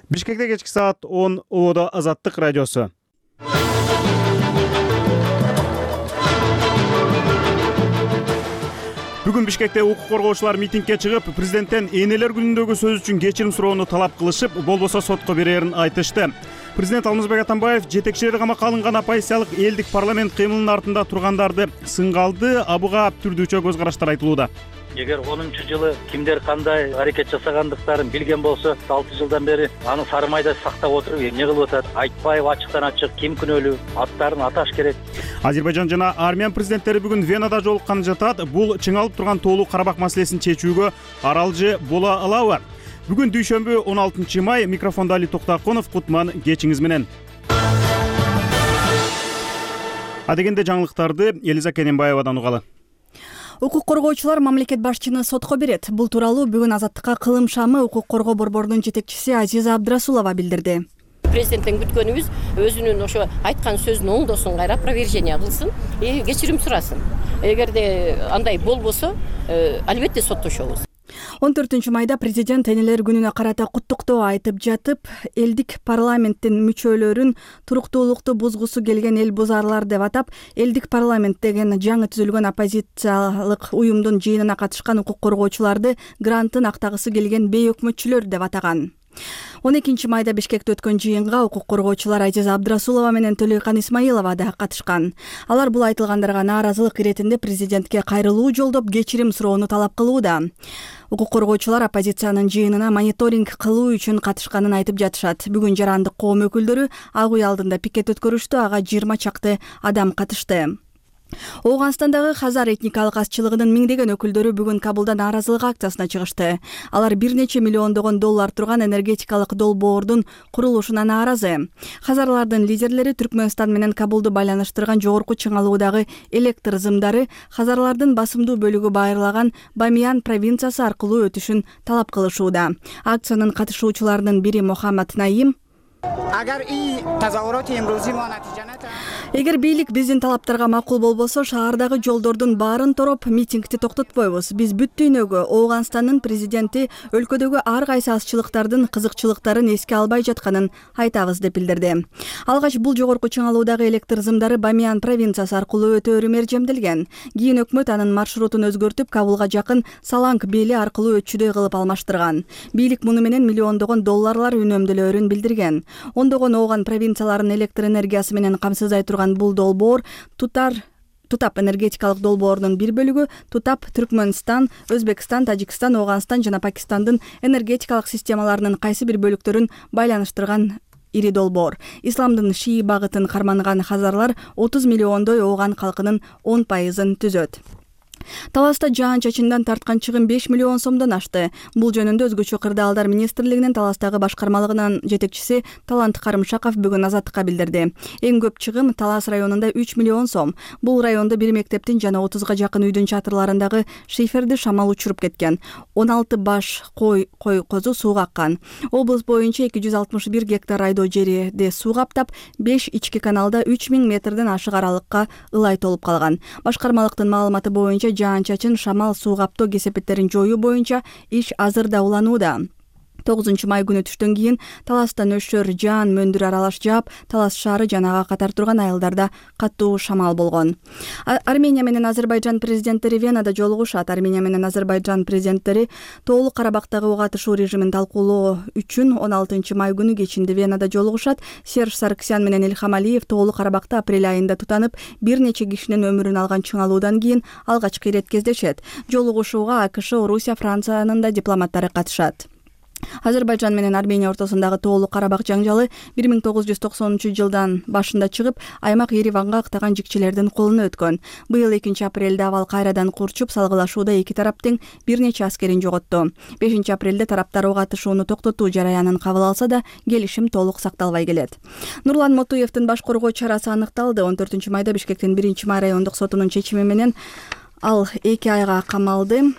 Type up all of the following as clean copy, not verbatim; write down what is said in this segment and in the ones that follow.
Бишкекте кечки саат 10 Оодо Азаттык радиосу. Бүгүн Бишкекте укук коргоочулар митингге чыгып, президенттен энелер күнүндөгү сөз үчүн кечирим суроону талап кылышып, болбосо сотко берерин айтышты. Президент Алмазбек Атамбаев жетекчилери камакка алынган оппозициялык элдик парламент кыймылынын артында тургандарды сынга алды, буга түрдүүчө көз караштар айтылууда. Эгер 10-жылы кимдер кандай аракет жасагандыктарын билген болсо, 6 жылдан бери аны сары майда сактап отуруп, эмне кылып атат? Айтпайбы ачыктан ачык ким күнөөлүү? Аттарын аташ керек. Азербайжан жана Армян президенттери бүгүн Венада жолукканы жатат. Бул чыңалып турган тоолуу Карабак маселесин чечүүгө аралжы бола алабы? Бүгүн дүйшөмбү 16 май. Микрофондо Али Токтаконов. Кутман кечиңиз менен. Адегенде жаңылыктарды Элиза Кененбаевадан угалы. Укук коргоочулар мамлекет башчыны сотко берет. Бул тууралуу бүгүн Азаттыкка кылым шамы укук коргоо борборунун жетекчиси Азиза Абдрасулова билдирди. Президенттен күткөнүбүз өзүнүн ошо айткан сөзүн оңдосун, кайра опровержение кылсын, кечирим сурасын. Эгерде андай болбосо, албетте соттошобуз. 14 майда президент энелер күнүнө карата куттуктоо айтып жатып, элдик парламенттин мүчөлөрүн туруктуулукту бузгусу келген эл бузарлар деп атап, элдик парламент деген жаңы түзүлгөн оппозициялык уюмдун жыйынына катышкан укук коргоочуларды грантын актагысы келген бейөкмөтчүлөр деп атаган. 12 майда Бишкекте өткөн жыйынга укук коргоочулар Азиза Абдрасулова менен Төлөйкан Исмаилова да катышкан. Алар бул айтылгандарга нааразылык иретинде президентке кайрылуу жолдоп, кечирим суроону талап кылууда. Укук коргоочулар оппозициянын жыйынына мониторинг кылуу үчүн катышканын айтып жатышат. Бүгүн жарандык коом өкүлдөрү ак үй алдында пикет өткөрүштү. Ага 20 чакты адам катышты. Ооганстандагы хазар этникалык азчылыгынын миңдеген өкүлдөрү бүгүн Кабулда нааразылык акциясына чыгышты. Алар бир нече миллиондогон доллар турган энергетикалык долбоордун курулушуна нааразы. Хазарлардын лидерлери Түркмөнстан менен Кабулду байланыштырган жогорку чыңалуудагы электр зымдары хазарлардын басымдуу бөлүгү байырлаган Бамиян провинциясы аркылуу өтүшүн талап кылышууда. Акциянын катышуучуларынын бири Мухаммад Наим: Эгер бийлик биздин талаптарга макул болбосо, шаардагы жолдордун баарын тороп, митингди токтотпойбуз. Биз бүт дүйнөгө Ооганстандын президенти өлкөдөгү ар кайсы азчылыктардын кызыкчылыктарын эске албай жатканын айтабыз деп билдирди. Алгач бул жогорку чыңалуудагы электр зымдары Бамиян провинциясы аркылуу өтөөрү мержемделген. Кийин өкмөт анын маршрутун өзгөртүп, Кабулга жакын Саланг бели аркылуу өтчүдөй кылып алмаштырган. Бийлик муну менен миллиондогон долларлар үнөмдөлөөрүн билдирген. Ондогон ооган провинцияларын электр энергиясы менен камсыздай турган бул долбоор Тутап энергетикалык долбоорунун бир бөлүгү. Тутап Түркмөнстан, Өзбекстан, Тажикстан, Ооганстан жана Пакистандын энергетикалык системаларынын кайсы бир бөлүктөрүн байланыштырган ири долбоор. Исламдын шии багытын карманган хазарлар 30 миллиондой ооган калкынын 10% түзөт. Таласта жаан-чачындан тарткан чыгым 5 миллион сомдон ашты. Бул жөнүндө Өзгөчө кырдаалдар министрлигинин Таластагы башкармалыгынын жетекчиси Талант Карымшаков бүгүн Азаттыкка билдирди. Эң көп чыгым Талас районунда 3 миллион сом. Бул райондо бир мектептин жана 30га жакын үйдүн чатырларындагы шиферди шамал учуруп кеткен. 16 баш кой козу сууга аккан. Облус боюнча 261 гектар айдоо жерди суу каптап, 5 ички каналда 3000 метрден ашык аралыкка ылай толуп калган. Башкармалыктын маалыматы боюнча жаан-чачын, шамал, суу каптоо кесепеттерин жоюу боюнча иш азырда уланууда. 9 май күнү түштөн кийин Таласта нөшөр, жаан, мөндүр аралаш жаап, Талас шаары жана ага катар турган айылдарда катуу шамал болгон. Армения менен Азербайжан президенттери Венада жолугушат. Армения менен Азербайжан президенттери тоолуу Карабактагы ок атышуу режимин талкуулоо үчүн 16 май күнү кечинде Венада жолугушат. Серж Сарксян менен Илхам Алиев тоолуу Карабакта апрель айында тутанып, бир нече кишинин өмүрүн алган чыңалуудан кийин алгачкы ирет кездешет. Жолугушууга АКШ, Орусия, Франциянын да дипломаттары катышат. Азербайжан менен Армения ортосундагы тоолуу Карабак жаңжалы 1990-жылдан башында чыгып, аймак Ереванга актаган жикчелердин колуна өткөн. Быйыл 2 апрелде абал кайрадан курчуп, салгылашууда эки тарап тең бир нече аскерин жоготту. 5 апрелде тараптар ок атышууну токтотуу жараянын кабыл алса да, келишим толук сакталбай келет. Нурлан Мотуевдин баш коргоо чарасы аныкталды. 14 майда Бишкектин 1 май райондук сотунун чечими менен ал 2 айга камалды.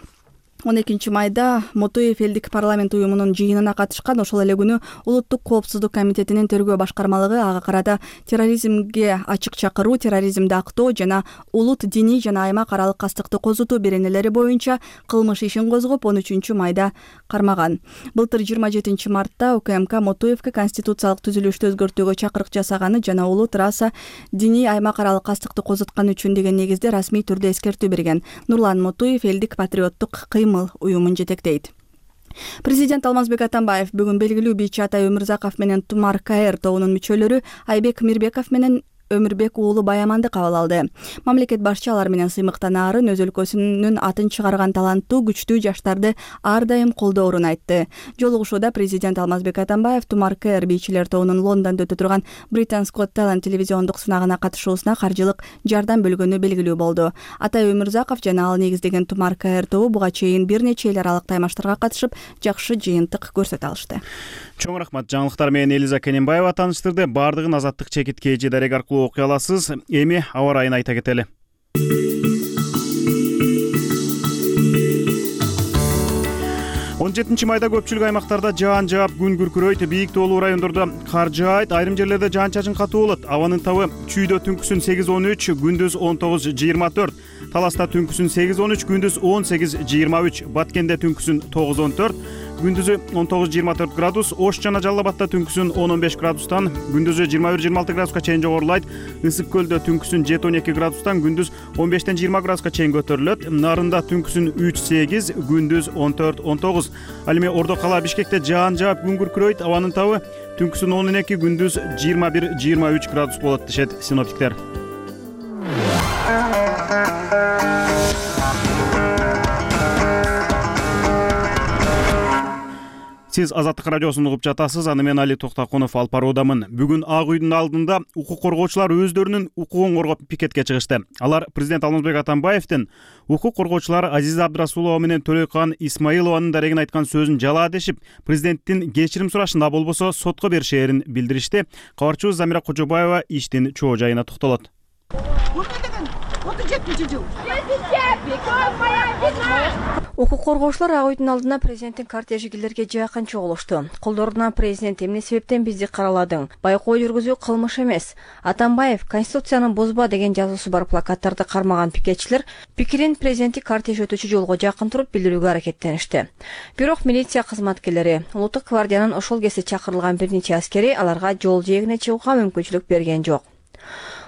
12 майда Мотуев элдик парламент уюмунун жыйынына катышкан. Ошол эле күнү Улуттук коопсуздук комитетинин тергөө башкармалыгы ага карата терроризмге ачык чакыруу, терроризмди актоо жана улут, диний жана аймак аралык кастыкты козутуу беренелери боюнча кылмыш ишин козгоп 13 майда кармаган. Былтыр 27 мартта УКМК Мотуевке конституциялык түзүлүштү өзгөртүүгө чакырык жасаганы жана улут, раса, диний, аймак аралык кастыкты козуткан үчүн деген негизде расмий түрдө эскертүү берген. Нурлан Мотуев элдик патриоттук кыймыл уюмун жетектейт. Президент Алмазбек Атамбаев бүгүн белгилүү бийчи Атай Өмүрзаков менен Тумар КР тобунун мүчөлөрү Айбек Мирбеков менен Өмүрбек уулу Баяманды кабыл алды. Мамлекет башчы алар менен сыймыктан арын өз өлкөсүнүн атын чыгарган таланттуу, күчтүү жаштарды ар дайым колдоорун айтты. Жолугушууда президент Алмазбек Атамбаев Тумар КР бийчилер тобунун Лондондо өтө турган Britain's Got Talent телевизиондук сынагына катышуусуна каржылык жардам бөлгөнү белгилүү болду. Атай Өмүрзаков жана ал негиздеген Тумар КР тобу буга чейин бир нече эл аралык таймаштарга катышып, жакшы жыйынтык көрсөтө алышты. Чоң рахмат. Жаңылыктар менен Элиза Кененбаева тааныштырды. Бардыгын Азаттык чекит KG дарек аркылуу окуй аласыз. Эми аба ырайын айта кетели. 17 майда көпчүлүк аймактарда жаан жаап, күн күркүрөйт, бийик тоолуу райондордо кар жаайт, айрым жерлерде жаан-чачын катуу болот. Абанын табы Чүйдө түнкүсүн 8-13, күндүз 19-24, Таласта түнкүсүн 8-13, күндүз 18-23, Баткенде түнкүсүн 9-14, күндүзү 19-24 градус, Ош жана Жалал Абадта түнкүсүн 10-15 градустан, күндүзү 21-26 градуска чейин жогорулайт. Ысык Көлдө түнкүсүн 7-12 градустан, күндүз 15-20 градуска чейин көтөрүлөт. Нарында түнкүсүн 3-8, күндүз 14-19. Ал эми Ордо кала Бишкекте жаан жаап, күн күркүрөйт, абанын табы түнкүсүн 12, күндүз 21-23 градус болот дешет синоптиктер. Сиз Азаттык радиосун угуп жатасыз. Аны мен Али Токтакунов алып баруудамын. Бүгүн Ак үйдүн алдында укук коргоочулар өздөрүнүн укугун коргоп пикетке чыгышты. Алар президент Алмазбек Атамбаевдин укук коргоочулар Азиза Абдрасулова менен Төлөйкан Исмаилованын дарегин айткан сөзүн жалаа дешип, президенттин кечирим сурашында болбосо сотко беришээрин билдиришти. Кабарчыбыз Замира Кожобаева иштин чоо жайына токтолот. Укук коргоочулар Ак үйдүн алдына президенттин кортежи килерге жакын чогулушту. Колдоруна президент эмне себептен бизди караладың? Байкоо жүргүзүү кылмыш эмес. Атамбаев Конституцияны бозба деген жазуусу бар плакаттарды кармаган пикетчилер пикирин президенттик кортеж өтүүчү жолго жакын туруп билдирүүгө аракеттеништи. Бирок милиция кызматкерлери, Улуттук гвардиянын ошол кезде чакырылган бир нече аскери аларга жол жээгине чыгууга мүмкүнчүлүк берген жок.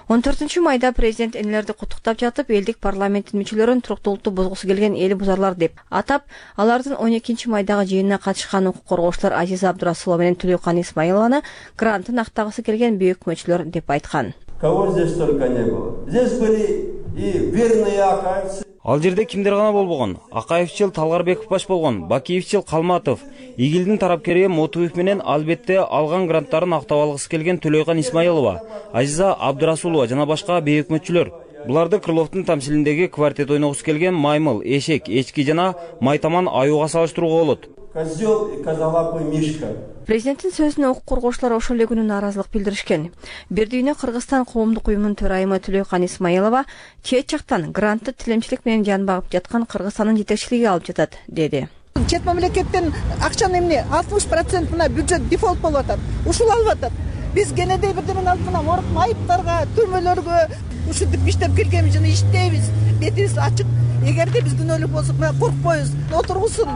14 майда президент энелерди куттуктап жатып, элдик парламенттин мүчөлөрүн туруктуулукту бузгусу келген эл бузарлар деп атап, алардын 12 майдагы жыйынына катышкан укук коргоочулар Азиза Абдрасулова менен Төлөйкан Исмаилованы грантын актагысы келген бүйүк мөчөлөр деп айткан. Кого здесь только не было. Здесь были и верные акаевцы. Ал жерде кимдер гана болбогон? Акаевчил Талгарбеков баш болгон, Бакиевчил Калматов, Игилдин тарапкери Мотуев менен албетте алган гранттарын актап алгысы келген Төлөйкан Исмаилова, Азиза Абдрасулова жана башка бейик мөчөлөр. Буларды Крыловдун тамсилиндеги квартет ойногусу келген Маймыл, Эшек, Эчки жана Майтаман аюуга салыштырууга болот. Козел и козолапый Мишка. Президенттин сөзүнө укук коргоочулар ошол эле күнү нааразылык билдиришкен. Бир дүйнө Кыргызстан коомдук уюмунун төрайымы Төлөйкан Исмаилова чет жактан грантты тилемчилик менен жан багып жаткан Кыргызстандын жетекчилиги алып жатат, деди. Чет мамлекеттен акчаны эмне 60% мына бюджет дефолт болуп атат. Ушул алып атат. Биз кенедей бирдемени алып мына морг майыптарга, түрмөлөргө ушинтип иштеп келгенбиз жана иштейбиз. Бетибиз ачык. Эгерде биз күнөөлүү болсок, мына коркпойбуз. Отургусун.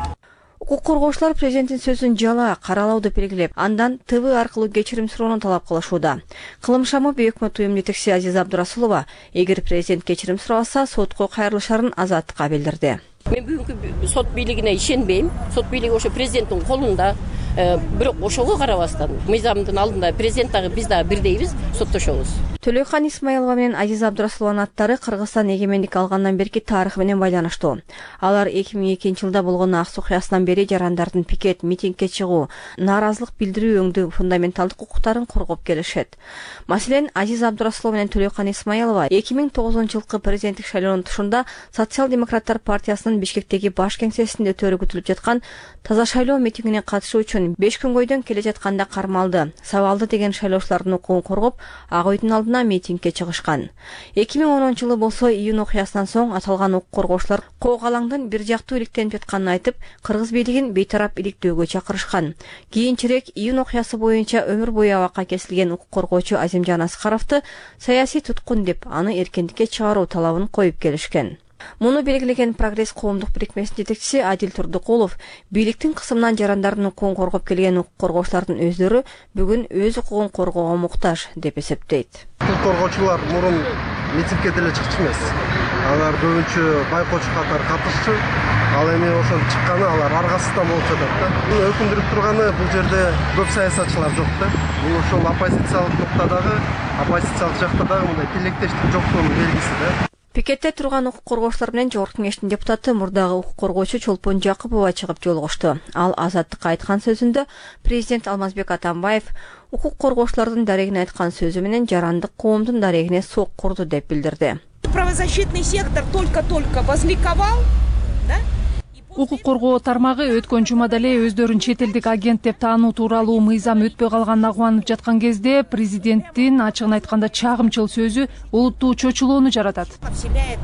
Укук коргоочулар президенттин сөзүн жалаа, каралауду белгилеп, андан ТВ аркылуу кечирим суроону талап кылышууда. Кылымшамы бүйүк уюм жетекчиси Азиза Абдрасулова, эгер президент кечирим сураса, сотко кайрылышарын Азаттыкка билдирди. Мен бүгүнкү сот бийлигине ишенбейм. Сот бийлиги ошо президенттин колунда. Бирок ошого карабастан мыйзамдын алдында президент дагы биз дагы бирдейбиз, соттошобуз. Төлөйкан Исмаилова менен Азиза Абдрасулованын аттары Кыргызстан эгемендик алгандан берки тарыхы менен байланыштуу. Алар 2002 жылда болгон ак окуясынан бери жарандардын пикет, митингге чыгуу, нааразылык билдирүү өңдүү фундаменталдык укуктарын коргоп келишет. Маселен, Азиза Абдрасулова менен Төлөйкан Исмаилова 2009 жылкы президенттик шайлоонун тушунда Социал-демократтар партиясынын Бишкектеги баш кеңсесинде өтөөрү күтүлүп жаткан таза шайлоо митингине катышуу үчүн 5 күн бойдон келе жатканда кармалды. Сабалды деген шайлоочулардын укугун коргоп, Ак үйдүн алдына алдына митингге чыгышкан. 2010-жылы болсо июнь окуясынан соң аталган укук коргоочулар Кок алаңдын бир жактуу иликтенип жатканын айтып, кыргыз бийлигин бейтарап иликтөөгө чакырышкан. Кийинчерээк июнь окуясы боюнча өмүр бою абакка кесилген укук коргоочу Азимжан Аскаровду саясий туткун деп, аны эркиндикке чыгаруу талабын коюп келишкен. Муну белгилеген Прогресс коомдук бирикмесинин жетекчиси Адил Турдукулов бийликтин кысымынан жарандардын укугун коргоп келген укук коргоочулардын өздөрү бүгүн өз укугун коргоого муктаж деп эсептейт. Укук коргоочулар мурун митингге деле чыкчу эмес. Алар көбүнчө байкоочу катары катышчу. Ал эми ошол чыкканы алар аргасыздан болуп жатат да. Муну өкүндүрүп турганы бул жерде көп саясатчылар жок да. Бул ошол оппозициялык нуктадагы, оппозициялык жакта дагы мындай тилектештик жоктугунун белгиси да. Пикетте турган укук коргоочулар менен Жогорку Кеңештин депутаты мурдагы укук коргоочу Чолпон Жакыпова чыгып жолугушту. Ал Азаттыкка айткан сөзүндө президент Алмазбек Атамбаев укук коргоочулардын дарегине айткан сөзү менен жарандык коомдун дарегине сок курду деп билдирди. Правозащитный сектор только-только возликовал, да? Укук коргоо тармагы өткөн жумада эле өздөрүн чет элдик агент деп таануу тууралуу мыйзам өтпөй калганына кубанып жаткан кезде президенттин ачыгын айтканда чагымчыл сөзү олуттуу чочулоону жаратат. Вселяет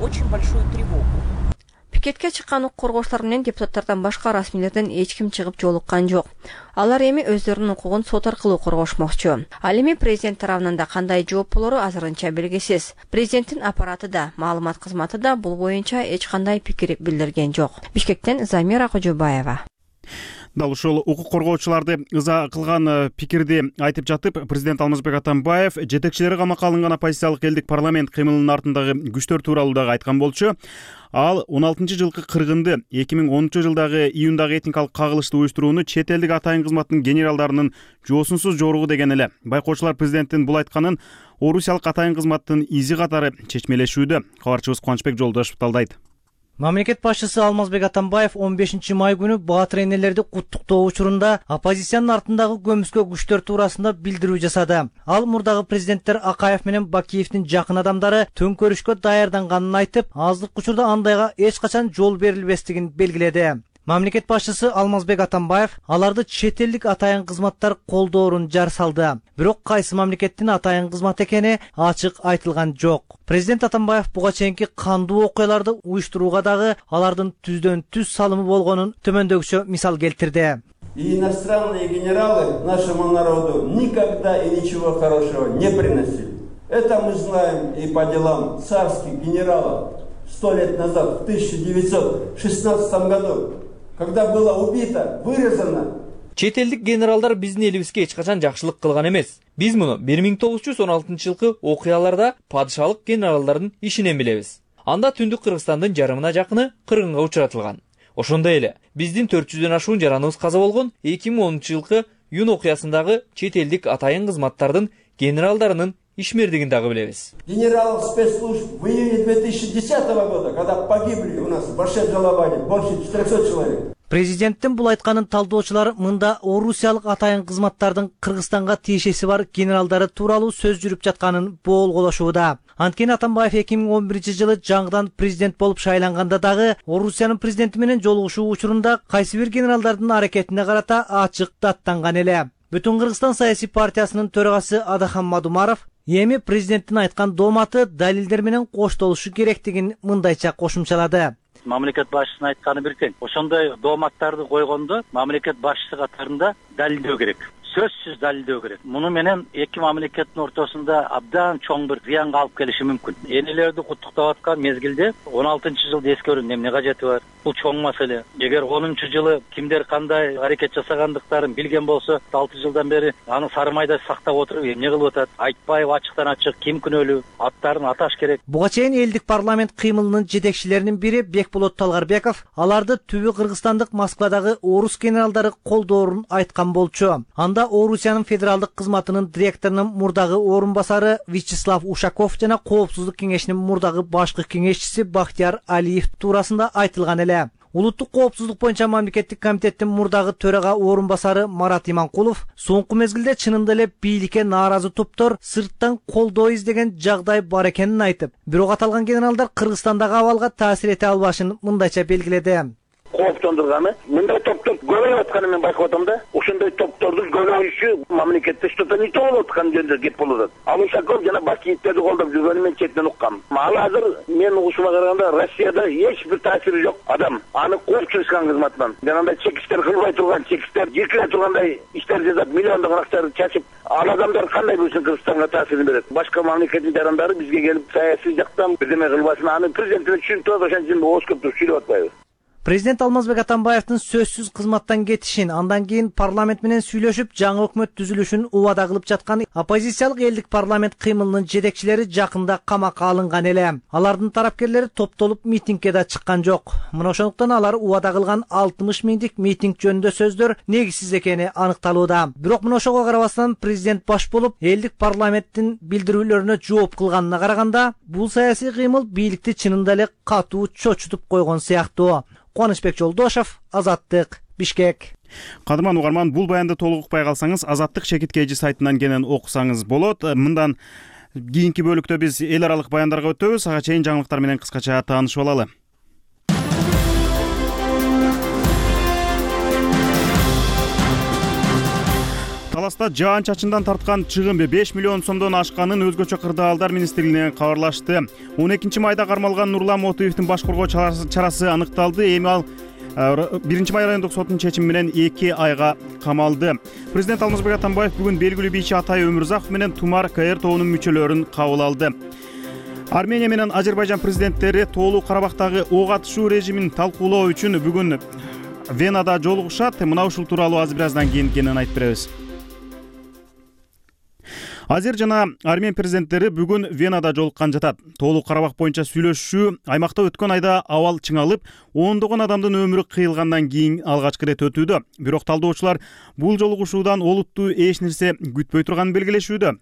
очень большую тревогу. Пикетке чыккан укук коргоочулар менен депутаттардан башка расмийлерден эч ким чыгып жолуккан жок. Алар эми өздөрүнүн укугун сот аркылуу коргошмокчу. Ал эми президент тарабынан да кандай жооп болору азырынча белгисиз. Президенттин аппараты да, маалымат кызматы да бул боюнча эч кандай пикир билдирген жок. Бишкектен Замира Кожобаева. Дал ушул укук коргоочуларды ыза кылган пикирди айтып жатып, президент Алмазбек Атамбаев жетекчилери камакка алынган оппозициялык элдик парламент кыймылынын артындагы күчтөр тууралуу дагы айткан болчу. Ал 16-жылкы кыргынды 2010-жылдагы июндагы этникалык кагылышты уюштурууну чет элдик атайын кызматтын генералдарынын жоосунсуз жоругу деген эле. Байкоочулар президенттин бул айтканын орусиялык атайын кызматтын изи катары чечмелешүүдө. Кабарчыбыз Кубанычбек Жолдошев талдайт. Мамлекет башчысы Алмазбек Атамбаев 15 май күнү баатыр энелерди куттуктоо учурунда оппозициянын артындагы көмүскө күчтөр туурасында билдирүү жасады. Ал мурдагы президенттер Акаев менен Бакиевдин жакын адамдары төңкөрүшкө даярданганын айтып, азыркы учурда андайга эч качан жол берилбестигин белгиледи. Мамлекет башчысы Алмазбек Атамбаев аларды чет элдик атайын кызматтар колдоорун жар салды. Бирок кайсы мамлекеттин атайын кызмат экени ачык айтылган жок. Президент Атамбаев буга чейинки кандуу окуяларды уюштурууга дагы алардын түздөн түз салымы болгонун төмөндөгүчө мисал келтирди. И иностранные генералы нашему народу никогда и ничего хорошего не приносили. Это мы знаем и по делам царских генералов 100 лет назад, в 1916 году. Когда было убито, вырезано. Чет элдик генералдар биздин элибизге эч качан жакшылык кылган эмес. Биз муну 1916-жылкы окуяларда падышалык генералдардын ишинен билебиз. Анда түндүк Кыргызстандын жарымына жакыны кыргынга учуратылган. Ошондой эле биздин 400дөн ашуун жараныбыз каза болгон 2010-жылкы июнь окуясындагы чет элдик атайын кызматтардын генералдарынын ишмердигин дагы билебиз. Генералов спецслужб в июне 2010 года, когда погибли у нас в Башев-Жалабаде больше 400 человек. Президенттин бул айтканын талдоочулар мында орусиялык атайын кызматтардын Кыргызстанга тиешеси бар генералдары тууралуу сөз жүрүп жатканын боолголошууда. Анткени Атамбаев 2011-жылы жаңыдан президент болуп шайланганда дагы Орусиянын президенти менен жолугушуу учурунда кайсы бир генералдардын аракетине карата ачык даттанган эле. Бүтүн Кыргызстан саясий партиясынын төрагасы Адахан Мадумаров эми президенттин айткан дооматы далилдер менен коштолушу керектигин мындайча кошумчалады. Мамлекет башчысынын айтканы бир тең. Ошондой дооматтарды койгондо мамлекет башчысы катарында далилдөө керек. Сөзсүз далилдөө керек. Муну менен эки мамлекеттин ортосунда абдан чоң бир зыянга алып келиши мүмкүн. Энелерди куттуктап аткан мезгилде 16-жылды эскерүүнүн эмне кажети бар? Бул чоң маселе. Эгер 10-жылы кимдер кандай аракет жасагандыктарын билген болсо, 6 жылдан бери аны сары майда сактап отуруп эмне кылып атат? Айтпайбы ачыктан ачык ким күнөөлүү? Аттарын аташ керек. Буга чейин элдик парламент кыймылынын жетекчилеринин бири Бекболот Талгарбеков аларды түбү кыргызстандык Москвадагы орус генералдары колдоорун айткан болчу. Анда Орусиянын федералдык кызматынын директорунун мурдагы орун басары Вячеслав Ушаков жана Коопсуздук кеңешинин мурдагы башкы кеңешчиси Бахтияр Алиев туурасында айтылган эле. Улуттук коопсуздук боюнча мамлекеттик комитеттин мурдагы төрага орун басары Марат Иманкулов соңку мезгилде чынында эле бийликке нааразы топтор сырттан колдоо издеген жагдай бар экенин айтып, бирок аталган генералдар Кыргызстандагы абалга таасир эте албашын мындайча белгиледи. кооптондурганы. Мындай топтор көбөйүп атканын мен байкап атам да. Ошондой топтордун көбөйүшү мамлекетте что-то не то болуп аткан жөнүндө кеп болуп атат. Ал Ушаков жана Бакиевтерди колдоп жүргөнүн мен четинен уккам. Ал азыр мен угушума караганда Россияда эч бир таасири жок адам. Аны кууп чыгышкан кызматынан. Жанагындай чекиштер кылбай турган, чекиштер жекире тургандай иштер жасап, миллиондогон акчаны чачып, ал адамдар кандай болсун Кыргызстанга таасирин берет. Башка мамлекеттин жарандары бизге келип саясий жактан бирдеме кылбасын, аны президентине түшүнтүп ошон үчүн ооз көп сүйлөп атпайбыз. Президент Алмазбек Атамбаевдин сөзсүз кызматтан кетишин, андан кийин парламент менен сүйлөшүп, жаңы өкмөт түзүлүшүн убада кылып жаткан оппозициялык элдик парламент кыймылынын жетекчилери жакында камакка алынган эле. Алардын тарапкерлери топтолуп митингге да чыккан жок. Мына ошондуктан алар убада кылган 60 миңдик митинг жөнүндө сөздөр негизсиз экени аныкталууда. Бирок мына ошого карабастан президент баш болуп, элдик парламенттин билдирүүлөрүнө жооп кылганына караганда, бул саясий кыймыл бийликти чынында эле катуу чочутуп койгон сыяктуу. Кубанычбек Жолдошев, Азаттык, Бишкек. Кадырман угарман, бул баянды толук укпай калсаңыз, Азаттык Шекиткейжи сайтынан кенен окусаңыз болот. Мындан кийинки бөлүктө биз эл аралык баяндарга өтөбүз. Ага чейин жаңылыктар менен кыскача таанышып алалы. Таласта жаан-чачындан тарткан чыгым 5 миллион сомдон ашканын өзгөчө кырдаалдар министрлигинен кабарлашты. 12 майда кармалган Нурлан Мотуевдин баш коргоо чарасы аныкталды. Эми ал 1 май райондук соттун чечими менен 2 айга камалды. Президент Алмазбек Атамбаев бүгүн белгилүү бийчи Атай Өмүрзаков менен Тумар КР тобунун мүчөлөрүн кабыл алды. Армения менен Азербайжан президенттери Тоолуу Карабактагы ок атышуу режимин талкуулоо үчүн бүгүн Венада жолугушат. Мына ушул тууралуу аз бир аздан кийин кенен айтып беребиз. Азер жана Армен президенттери бүгүн Венада жолуккан жатат. Тоолуу Карабак боюнча сүйлөшүү аймакта өткөн айда абал чыңалып, ондогон адамдын өмүрү кыйылгандан кийин алгачкы ирет өтүүдө. Бирок талдоочулар бул жолугушуудан олуттуу эч нерсе күтпөй турганын белгилешүүдө.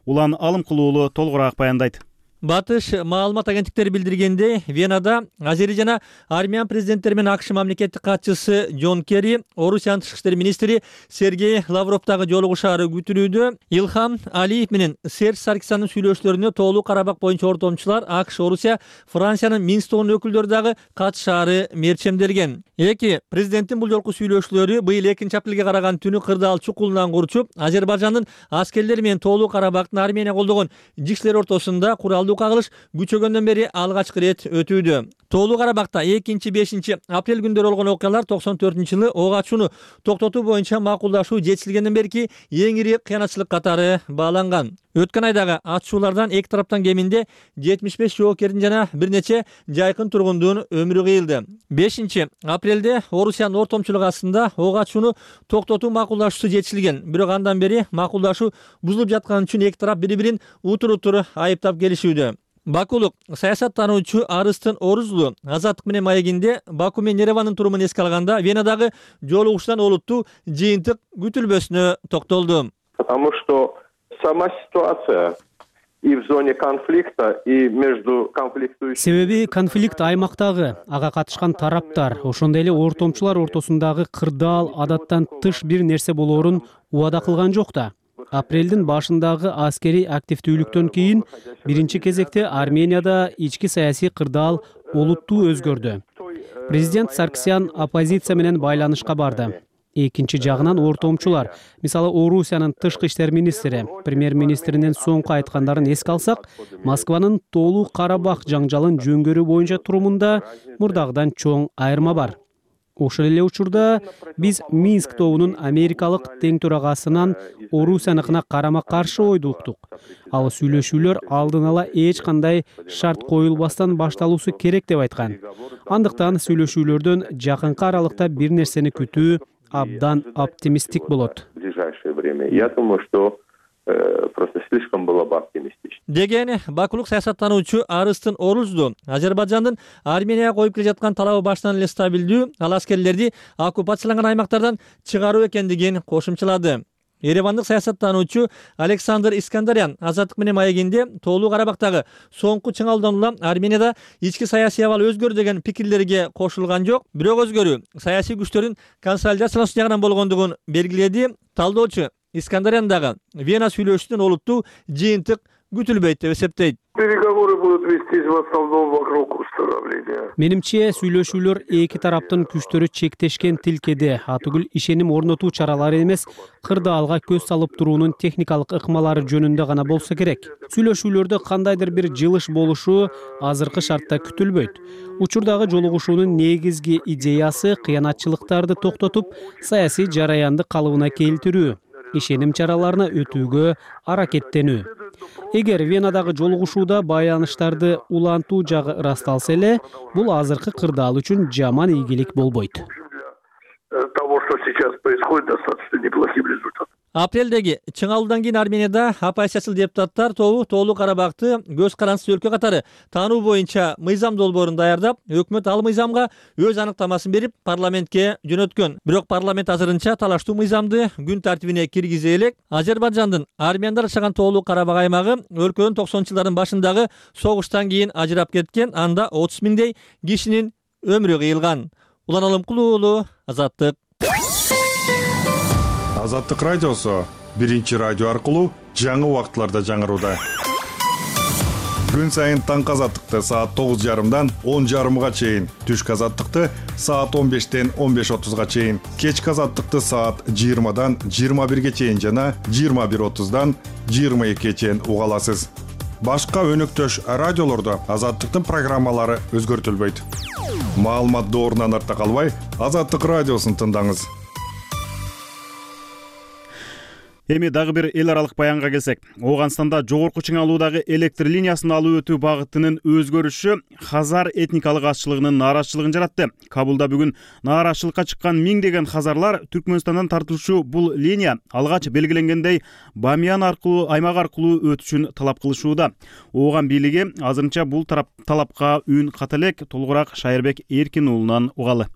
Улан Алымкулуу толугураак баяндайт. Батыш маалымат агенттиктери билдиргендей, Венада Азери жана Армян президенттери менен АКШ мамлекеттик катчысы Джон Керри, Орусиянын тышкы иштер министри Сергей Лавровдагы жолугушаары күтүлүүдө. Илхам Алиев менен Серж Саркисяндын сүйлөшүүлөрүнө Тоолуу Карабак боюнча ортомчулар АКШ, Орусия, Франциянын Минск тобунун өкүлдөрү дагы катышаары мерчемделген. Эки президенттин бул жолку сүйлөшүүлөрү быйыл 2-апрелге караган түнү кырдаал чукулунан курчуп, Азербайжандын аскерлери менен Тоолуу Карабактын Армения колдогон жикшилер ортосунда куралдуу кагылыш күчөгөндөн бери алгачкы ирет өтүүдө. Тоолуу Карабакта 2-5 апрель күндөрү болгон окуялар 94-жылы ок ачууну токтотуу боюнча макулдашуу жетишилгенден берки эң ири кыянатчылык катары бааланган. Өткөн айдагы атышуулардан эки тараптан кеминде 75 жоокердин жана бир нече жайкын тургундун өмүрү кыйылды. 5-апрелде Орусиянын ортомчулугу астында ок ачууну токтотуу макулдашуусу жетишилген. Бирок андан бери макулдашуу бузулуп жатканы үчүн эки тарап бири-бирин утур-утур айыптап келишүүдө. Бакулук саясаттануучу Арыстын Орузлу Азаттык менен маегинде Баку менен Еревандын турумун эске алганда Венадагы жолугушуудан олуттуу жыйынтык күтүлбөсүнө токтолду. Потому что сама ситуация и в зоне конфликта, и между конфликтующими... Себеби конфликт аймактагы, ага катышкан тараптар, ошондой эле ортомчулар ортосундагы кырдаал адаттан тыш бир нерсе болоорун убада кылган жок да. Апрелдин башындагы аскерий активдүүлүктөн кийин биринчи кезекте Арменияда ички саясий кырдаал олуттуу өзгөрдү. Президент Саркисян оппозиция менен байланышка барды. Экинчи жагынан ортомчулар, мисалы Орусиянын тышкы иштер министри, премьер-министринин соңку айткандарын эске алсак, Москванын Тоолуу Карабак жаңжалын жөнгөрүү боюнча турумунда мурдагыдан чоң айырма бар. Ошол эле учурда биз Минск тобунун америкалык тең төрагасынан Орусияныкына карама-каршы ойду уктук. Ал сүйлөшүүлөр алдын ала эч кандай шарт коюлбастан башталуусу керек деп айткан. Андыктан сүйлөшүүлөрдөн жакынкы аралыкта бир нерсени күтүү абдан оптимисттик болот. Я думаю, что просто слишком было бы оптимистично. Деген бакулук саясаттануучу Арыстын Орузду Азербайжандын Арменияга коюп келе жаткан талабы баштан эле стабилдүү, ал аскерлерди оккупацияланган аймактардан чыгаруу экендигин кошумчалады. Еревандык саясаттануучу Александр Искандарян Азаттык менен маегинде Тоолуу Карабактагы соңку чыңалуудан улам Арменияда ички саясий абал өзгөрдү деген пикирлерге кошулган жок. Бирок өзгөрүү саясий күчтөрдүн консолидациялануусу жагынан болгондугун белгиледи. Талдоочу Искандарян дагы Вена сүйлөшүүнүн олуттуу жыйынтык күтүлбөйт деп эсептейт. Переговоры будут вестись в основном вокруг установления. Менимче сүйлөшүүлөр эки тараптын күчтөрү чектешкен тилкеде атүгүл ишеним орнотуу чаралары эмес, кырдаалга көз салып туруунун техникалык ыкмалары жөнүндө гана болсо керек. Сүйлөшүүлөрдө кандайдыр бир жылыш болушу азыркы шартта күтүлбөйт. Учурдагы жолугушуунун негизги идеясы кыянатчылыктарды токтотуп, саясий жараянды калыбына келтирүү, ишеним чараларына өтүүгө аракеттенүү. Эгер Венадагы жолугушууда байланыштарды улантуу жагы ырасталса эле, бул азыркы кырдаал үчүн жаман ийгилик болбойт. Того, что сейчас происходит, достаточно неплохим результатом. Апрелдеги чыңалуудан кийин Арменияда оппозициячыл депутаттар тобу Тоолуу Карабакты көз карансыз өлкө катары таануу боюнча мыйзам долбоорун даярдап, өкмөт ал мыйзамга өз аныктамасын берип, парламентке жөнөткөн. Бирок парламент азырынча талаштуу мыйзамды күн тартибине киргизе элек. Азербайжандын армяндар жашаган Тоолуу Карабак аймагы өлкөнүн 90-жылдардын башындагы согуштан кийин ажырап кеткен, анда 30 миңдей кишинин өмүрү кыйылган. Улан Алымкулуу уулу, Азаттык. Азаттык радиосу биринчи радио аркылуу жаңы убакытларда жаңырууда. Күн сайын таңкы азаттыкты саат 9:30дан 10:30га чейин, түшкү азаттыкты саат 15-тен 15:30га чейин, кечки азаттыкты саат 20-дан 21-ге чейин жана 21:30-дан 22-ге чейин уга аласыз. Башка өнөктөш радиолордо азаттыктын программалары өзгөртүлбөйт. Маалымат доорунан артта калбай, Азаттык радиосун тыңдаңыз. Эми дагы бир эл аралык баянга келсек, Ооганстанда жогорку чыңалуудагы электр линиясын алып өтүү багытынын өзгөрүшү хазар этникалык азчылыгынын нааразычылыгын жаратты. Кабулда бүгүн нааразычылыкка чыккан миңдеген хазарлар Түркмөнстандан тартылуучу бул линия алгач белгиленгендей Бамиян аймак аркылуу өтүшүн талап кылышууда. Ооган бийлиги азырынча бул талапка үн ката элек. Толугураак Шайырбек Эркин уулунан угалы.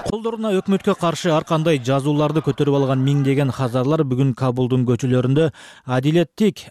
Колдоруна өкмөткө каршы ар кандай жазууларды көтөрүп алган миңдеген хазарлар бүгүн Кабулдун көчөлөрүндө адилеттик,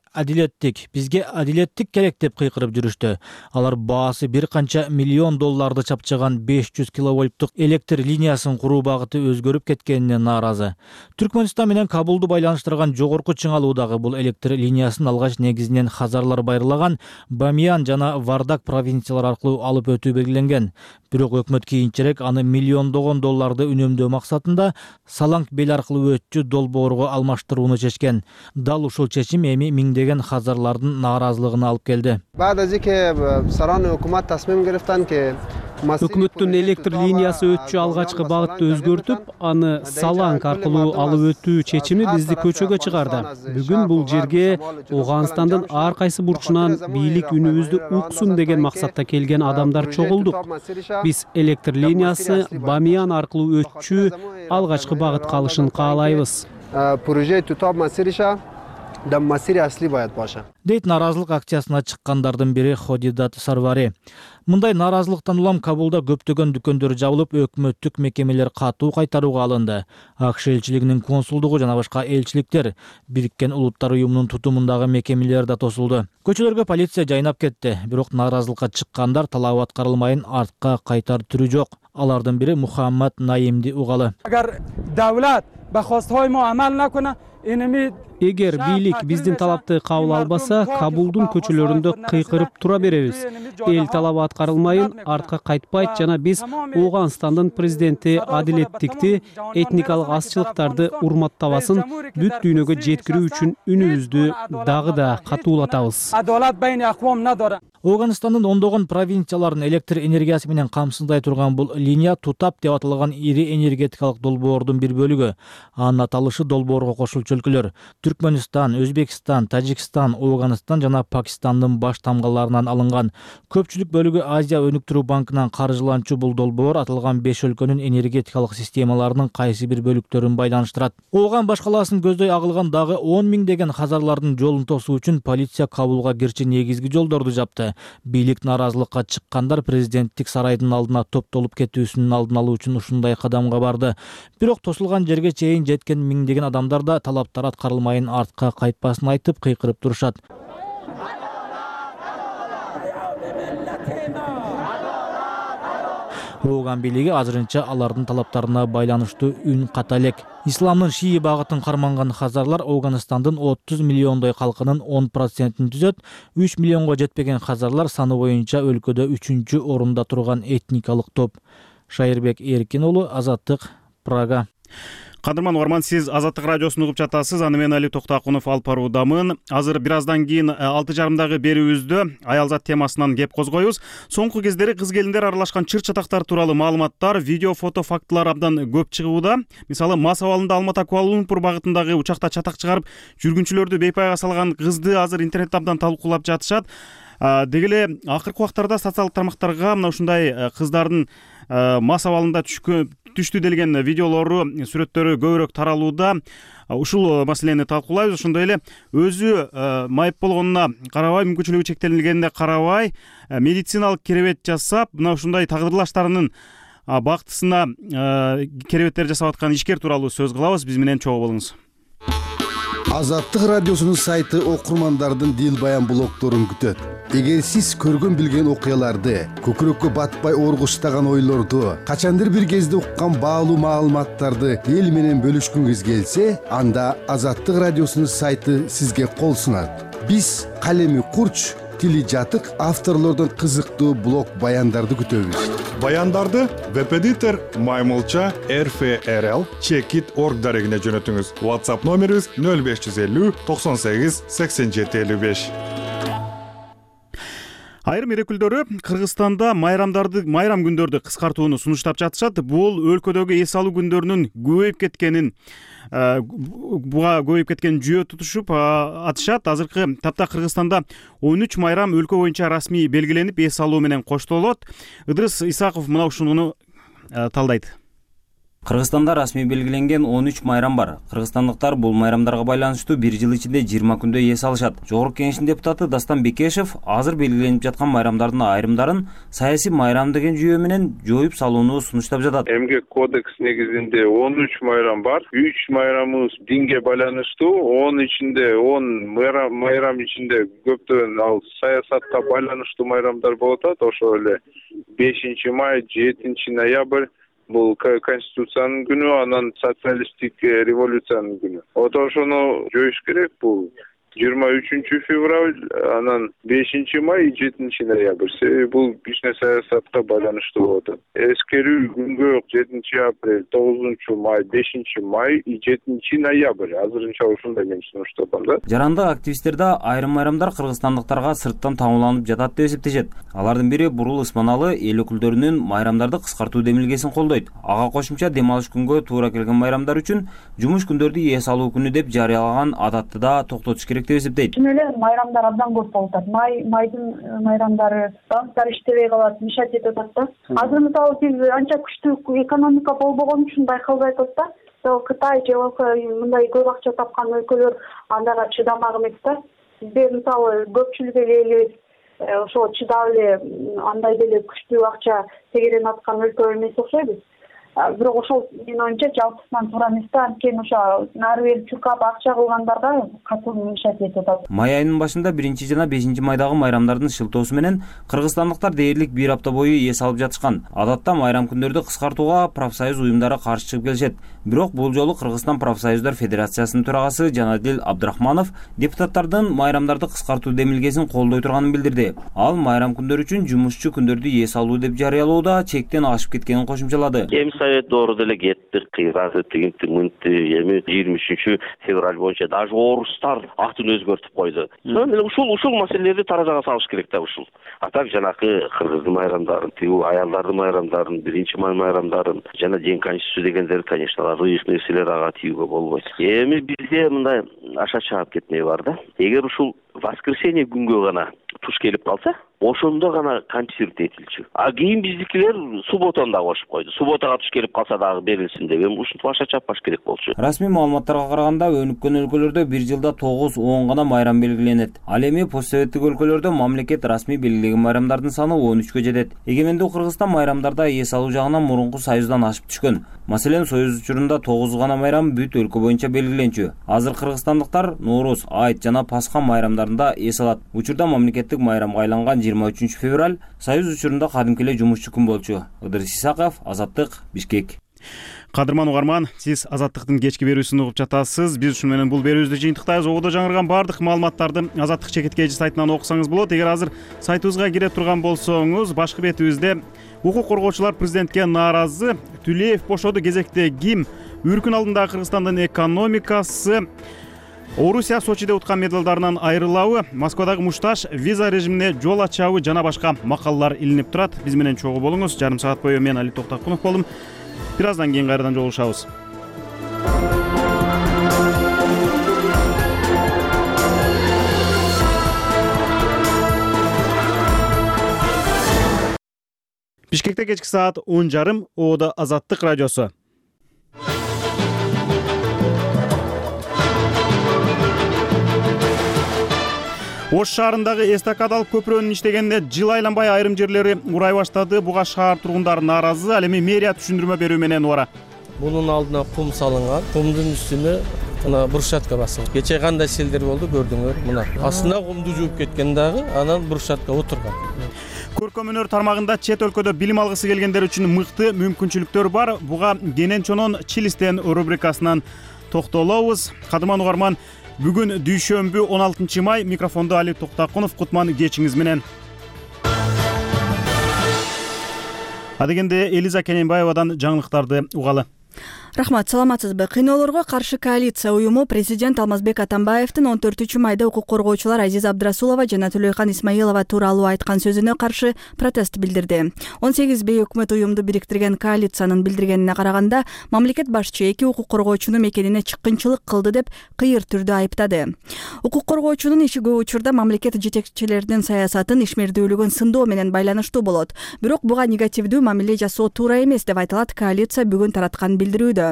бизге адилеттик керек деп кыйкырып жүрүштү. Алар баасы бир канча миллион долларды чапчаган 500 киловольттук электр линиясын куруу багыты өзгөрүп кеткенине нааразы. Түркмөнстан менен Кабулду байланыштырган жогорку чыңалуудагы бул электр линиясын алгач негизинен хазарлар байырлаган Бамиян жана Вардак провинциялары аркылуу алып өтүү белгиленген. Бирок өкмөт кийинчерээк аны миллиондогон долларды үнөмдөө максатында Салаңк бел аркылуу өтчү долбоорго алмаштырууну чечкен. Дал ушул чечим эми миңдеген хазарлардын нааразылыгына алып келди. Өкмөттүн электр линиясы өтчү алгачкы багытты өзгөртүп, аны Салаңк аркылуу алып өтүү чечими бизди көчөгө чыгарды. Бүгүн бул жерге Ооганстандын ар кайсы бурчунан бийлик үнүбүздү уксун деген максатта келген адамдар чогулдук. Биз электр линиясы Бамиян аркылуу өтчү алгачкы багытка алышын каалайбыз. Дейт нааразылык акциясына чыккандардын бири Ходидат Сарвари. Мындай нааразылыктан улам Кабулда көптөгөн дүкөндөр жабылып, өкмөттүк мекемелер катуу кайтарууга алынды. АКШ элчилигинин консулдугу жана башка элчиликтер, Бириккен Улуттар уюмунун тутумундагы мекемелер да тосулду. Көчөлөргө полиция жайнап кетти, бирок нааразылыкка чыккандар талабы аткарылмайын артка кайтар түрү жок. Алардын бири Мухаммад Наимди угалы. Эгер бийлик биздин талапты кабыл албаса, Кабулдун көчөлөрүндө кыйкырып тура беребиз. Эл талабы аткарылмайын артка кайтпайт жана биз Ооганстандын президенти адилеттикти, этникалык азчылыктарды урматтабасын бүт дүйнөгө жеткирүү үчүн үнүбүздү дагы да катуулатабыз. Ооганстандын ондогон провинцияларын электр энергиясы менен камсыздай турган бул линия Тутап деп аталган ири энергетикалык долбоордун бир бөлүгү. Анын аталышы долбоорго кошулчу өлкөлөр Түркмөнстан, Өзбекстан, Тажикстан, Ооганстан жана Пакистандын баш тамгаларынан алынган. Көпчүлүк бөлүгү Азия өнүктүрүү банкынан каржыланчу бул долбоор аталган 5 өлкөнүн энергетикалык системаларынын кайсы бир бөлүктөрүн байланыштырат. Ооган баш калаасын көздөй агылган дагы 10 миңдеген хазарлардын жолун тосуу үчүн полиция Кабулга кирчи негизги жолдорду жапты. Бийлик нааразылыкка чыккандар президенттик сарайдын алдына топтолуп кетүүсүнүн алдын алуу үчүн ушундай кадамга барды. Бирок тосулган жерге чейин жеткен миңдеген адамдар да талаптар аткарылмайын артка кайтпасын айтып кыйкырып турушат. Ооган бийлиги азырынча алардын талаптарына байланыштуу үн ката элек. Исламдын шии багытын карманган хазарлар Афганистандын 30 миллиондой калкынын 10%-ин түзөт. 3 миллионго жетпеген хазарлар саны боюнча өлкөдө 3-чү орунда турган этникалык топ. Шайырбек Эркин уулу, Азаттык, Прага. Кадырман угарман, сиз Азаттык радиосун угуп жатасыз. Аны мен Али Токтакунов алып баруудамын. Азыр бир аздан кийин 6:30 берүүбүздө аялзат темасынан кеп козгойбуз. Соңку кездери кыз келиндер аралашкан чыр-чатактар тууралуу маалыматтар, видео, фото, фактылар абдан көп чыгууда. Мисалы, мас абалында Алматы Куала-Лумпур багытындагы учакта чатак чыгарып, жүргүнчүлөрдү бейпайга салган кызды азыр интернетте абдан талкуулап жатышат. Деги эле акыркы убактарда социалдык тармактарга мына ушундай кыздардын мас абалында түштү делген видеолору, сүрөттөрү көбүрөөк таралууда. Ушул маселени талкуулайбыз. Ошондой эле өзү майып болгонуна карабай, мүмкүнчүлүгү чектелгенине карабай, медициналык керебет жасап, мына ушундай тагдырлаштарынын бактысына керебеттер жасап аткан ишкер тууралуу сөз кылабыз. Биз менен чогуу болуңуз. Азаттык радиосунун сайты окурмандардын дил баян блогторун күтөт. Эгер сиз көргөн билген окуяларды, көкүрөккө батпай оргуштаган ойлорду, качандыр бир кезде уккан баалуу маалыматтарды эл менен бөлүшкүңүз келсе, анда Азаттык радиосунун сайты сизге кол сунат. Биз калеми курч, тили жатык авторлордон кызыктуу блог баяндарды күтөбүз. Баяндарды веб-эдитор Маймылча RFRL Checkit.org дарегине жөнөтүңүз. WhatsApp номерибиз 0550 98 87 55. Айрым эл өкүлдөрү Кыргызстанда майрам күндөрдү кыскартууну сунуштап жатышат. Бул өлкөдөгү эс алуу күндөрүнүн көбөйүп кеткенин жүйө тутушуп атышат. Азыркы тапта Кыргызстанда 13 майрам өлкө боюнча расмий белгиленип, эс алуу менен коштолот. Ыдырыс Исаков мына ушуну талдайт. Кыргызстанда расмий белгиленген 13 майрам бар. Кыргызстандыктар бул майрамдарга байланыштуу бир жыл ичинде 20 күндө эс алышат. Жогорку кеңештин депутаты Дастан Бекешев азыр белгиленип жаткан майрамдардын айрымдарын саясий майрам деген жүйө менен жоюп салууну сунуштап жатат. Эмгек кодекс негизинде 13 майрам бар. 3 майрамыбыз динге байланыштуу, 10 ичинде 10 майрам ичинде көптөн ал саясатка байланыштуу майрамдар болот. Ошо эле 5 май, 7 ноябрь бул Конституциянын күнү, анан социалисттик революциянын күнү. Ошону жоюш керек. Бул 23 февраль, анан 5 май, 7 ноябрь. Бул кичине саясатка байланыштуу болот. Эскерүү күнгө 7 апрель, 9 май, 5 май, 7 ноябрь. Азырынча ушундай мен сунуштадым да. Жарандык активисттер да айрым майрамдар кыргызстандыктарга сырттан таңууланып жатат деп эсептешет. Алардын бири Бурул Ысманалы эл өкүлдөрүнүн майрамдарды кыскартуу демилгесин колдойт. Ага кошумча дем алыш күнгө туура келген майрамдар үчүн жумуш күндөрдү эс алуу күнү деп жарыялаган адатты да токтотуш керек деп эсептейт. Чын эле майрамдар абдан көп болуп атат. Майдын майрамдары, банктар иштебей калат, мешать этип атат да. Азыр мисалы биз анча күчтүү экономика болбогон үчүн байкалбай атат да. Кытай же мындай көп акча тапкан өлкөлөр андайга чыдамак эмес да. Бизде мисалы көпчүлүк элебиз ошо чыдап эле андай деле күчтүү акча тегеренип аткан өлкө эмес окшойбуз. Бирок ошол менин оюмча жалпысынан туура эмес да. Анткени ошо нары бери чуркап акча кылгандарга катуу мешать этип атат. Май айынын башында 1 жана 5 майдагы майрамдардын шылтоосу менен кыргызстандыктар дээрлик бир апта бою эс алып жатышкан. Адатта майрам күндөрдү кыскартууга профсоюз уюмдары каршы чыгып келишет. Бирок бул жолу Кыргызстан профсоюздар федерациясынын төрагасы Жанадил Абдрахманов депутаттардын майрамдарды кыскартуу демилгесин колдой турганын билдирди. Ал майрам күндөр үчүн жумушчу күндөрдү эс алуу деп жарыялоодо чектен ашып кеткенин кошумчалады. Doğru dele gettik, kıyrazı, tügüntü, yemi 23 fevral boyunca даже oruslar atını özgörtüp koydu. Sonra uşul meseleleri tarazağa salış gerek de uşul. Atak janakı Kırgızlı mayramların, ayallardı mayramların, 1 may mayramların, jana день конституции дегендер, конечно, рыйык нерселер ага тийүүгө болбойт. Эми бизде мындай аша чаап кетмей бар да. Эгер ушул воскресенье күнгө гана туш келип калса, ошондо гана концерт этилчү. А кийин биздикилер субботаны да кошуп койду. Субботага туш келип калса дагы берилсин деп. Эми ушинтип аша чаппаш керек болчу. Расмий маалыматтарга караганда өнүккөн өлкөлөрдө бир жылда 9-10 гана майрам белгиленет. Ал эми постсоветтик өлкөлөрдө мамлекет расмий белгилеген майрамдардын саны 13кө жетет. Эгемендүү Кыргызстан майрамдарда эс алуу жагынан мурунку союздан ашып түшкөн. Маселен, союз учурунда 9 гана майрам бүт өлкө боюнча белгиленчү. Азыр кыргызстандыктар Нооруз, Айт жана Пасха майрамдарында эс алат. Учурда мамлекет мамлекеттик майрамга айланган 23 февраль Союз учурунда кадимки эле жумушчу күн болчу. Ыдырыс Исаков, Азаттык, Бишкек. Кадырман угарман, сиз Азаттыктын кечки берүүсүн угуп жатасыз. Биз ушун менен бул берүүбүздү жыйынтыктайбыз. Ободо жаңырган бардык маалыматтарды Азаттык чекиткеji сайтынан окусаңыз болот. Эгер азыр сайтыбызга кире турган болсоңуз, башкы бетибизде укук коргоочулар президентке нааразы, Түлеев бошоду кезекте ким, үркүн алдындагы Кыргызстандын экономикасы, Орусия Сочиде уткан медалдарынан айрылабы, Москвадагы мушташ, виза режимине жол ачабы жана башка макалалар илинип турат. Биз менен чогуу болуңуз. Жарым саат бою мен Али Токтакунов болдум. Бир аздан кийин кайрадан жолугушабыз. Бишкекте кечки саат 10:30, Ободо Азаттык радиосу. Ош шаарындагы эстакадалык көпүрөнүн иштегенине жыл айланбай айрым жерлери урай баштады. Буга шаар тургундары нааразы. Ал эми мэрия түшүндүрмө берүү менен убара. Мунун алдына кум салынган. Кумдун үстүнө мына брусчатка басылган. Кече кандай селдер болду көрдүңөр. Мына астына кумду жууп кеткен дагы, анан брусчатка отурган. Көркөмөнөр тармагында чет өлкөдө билим алгысы келгендер үчүн мыкты мүмкүнчүлүктөр бар. Буга Генен Чонон Чилистен рубрикасынан токтолобуз. Кадырман угарман, бүгүн дүйшөмбү 16 май. Микрофондо Али Токтакунов. Кутман кечиңиз менен. Адегенде Элиза Кененбаевадан жаңылыктарды угалы. Рахмат, саламатсызбы? Кыйноолорго каршы коалиция уюму президент Алмазбек Атамбаевдин 14-майда укук коргоочулар Азиза Абдрасулова жана Төлөйкан Исмаилова тууралуу айткан сөзүнө каршы протест билдирди. 18 бейөкмөт уюмду бириктирген коалициянын билдиргенине караганда, мамлекет башчы эки укук коргоочунун мекенине чыккынчылык кылды деп кыйыр түрдө айыптады. Укук коргоочунун иши көп учурда мамлекет жетекчилеринин саясатын, ишмердүүлүгүн сындоо менен байланыштуу болот. Бирок буга негативдүү мамиле жасоо туура эмес деп айтылат коалиция бүгүн тараткан билдирүүдө.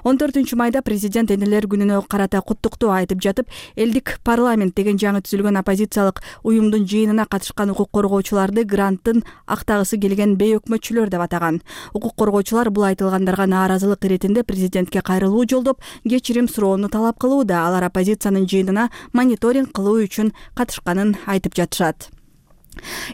14 майда президент энелер күнүнө карата куттуктоо айтып жатып, элдик парламент деген жаңы түзүлгөн оппозициялык уюмдун жыйынына катышкан укук коргоочуларды гранттын актагысы келген бейөкмөтчүлөр деп атаган. Укук коргоочулар бул айтылгандарга нааразылык иретинде президентке кайрылуу жолдоп, кечирим суроону талап кылууда. Алар оппозициянын жыйынына мониторинг кылуу үчүн катышканын айтып жатышат.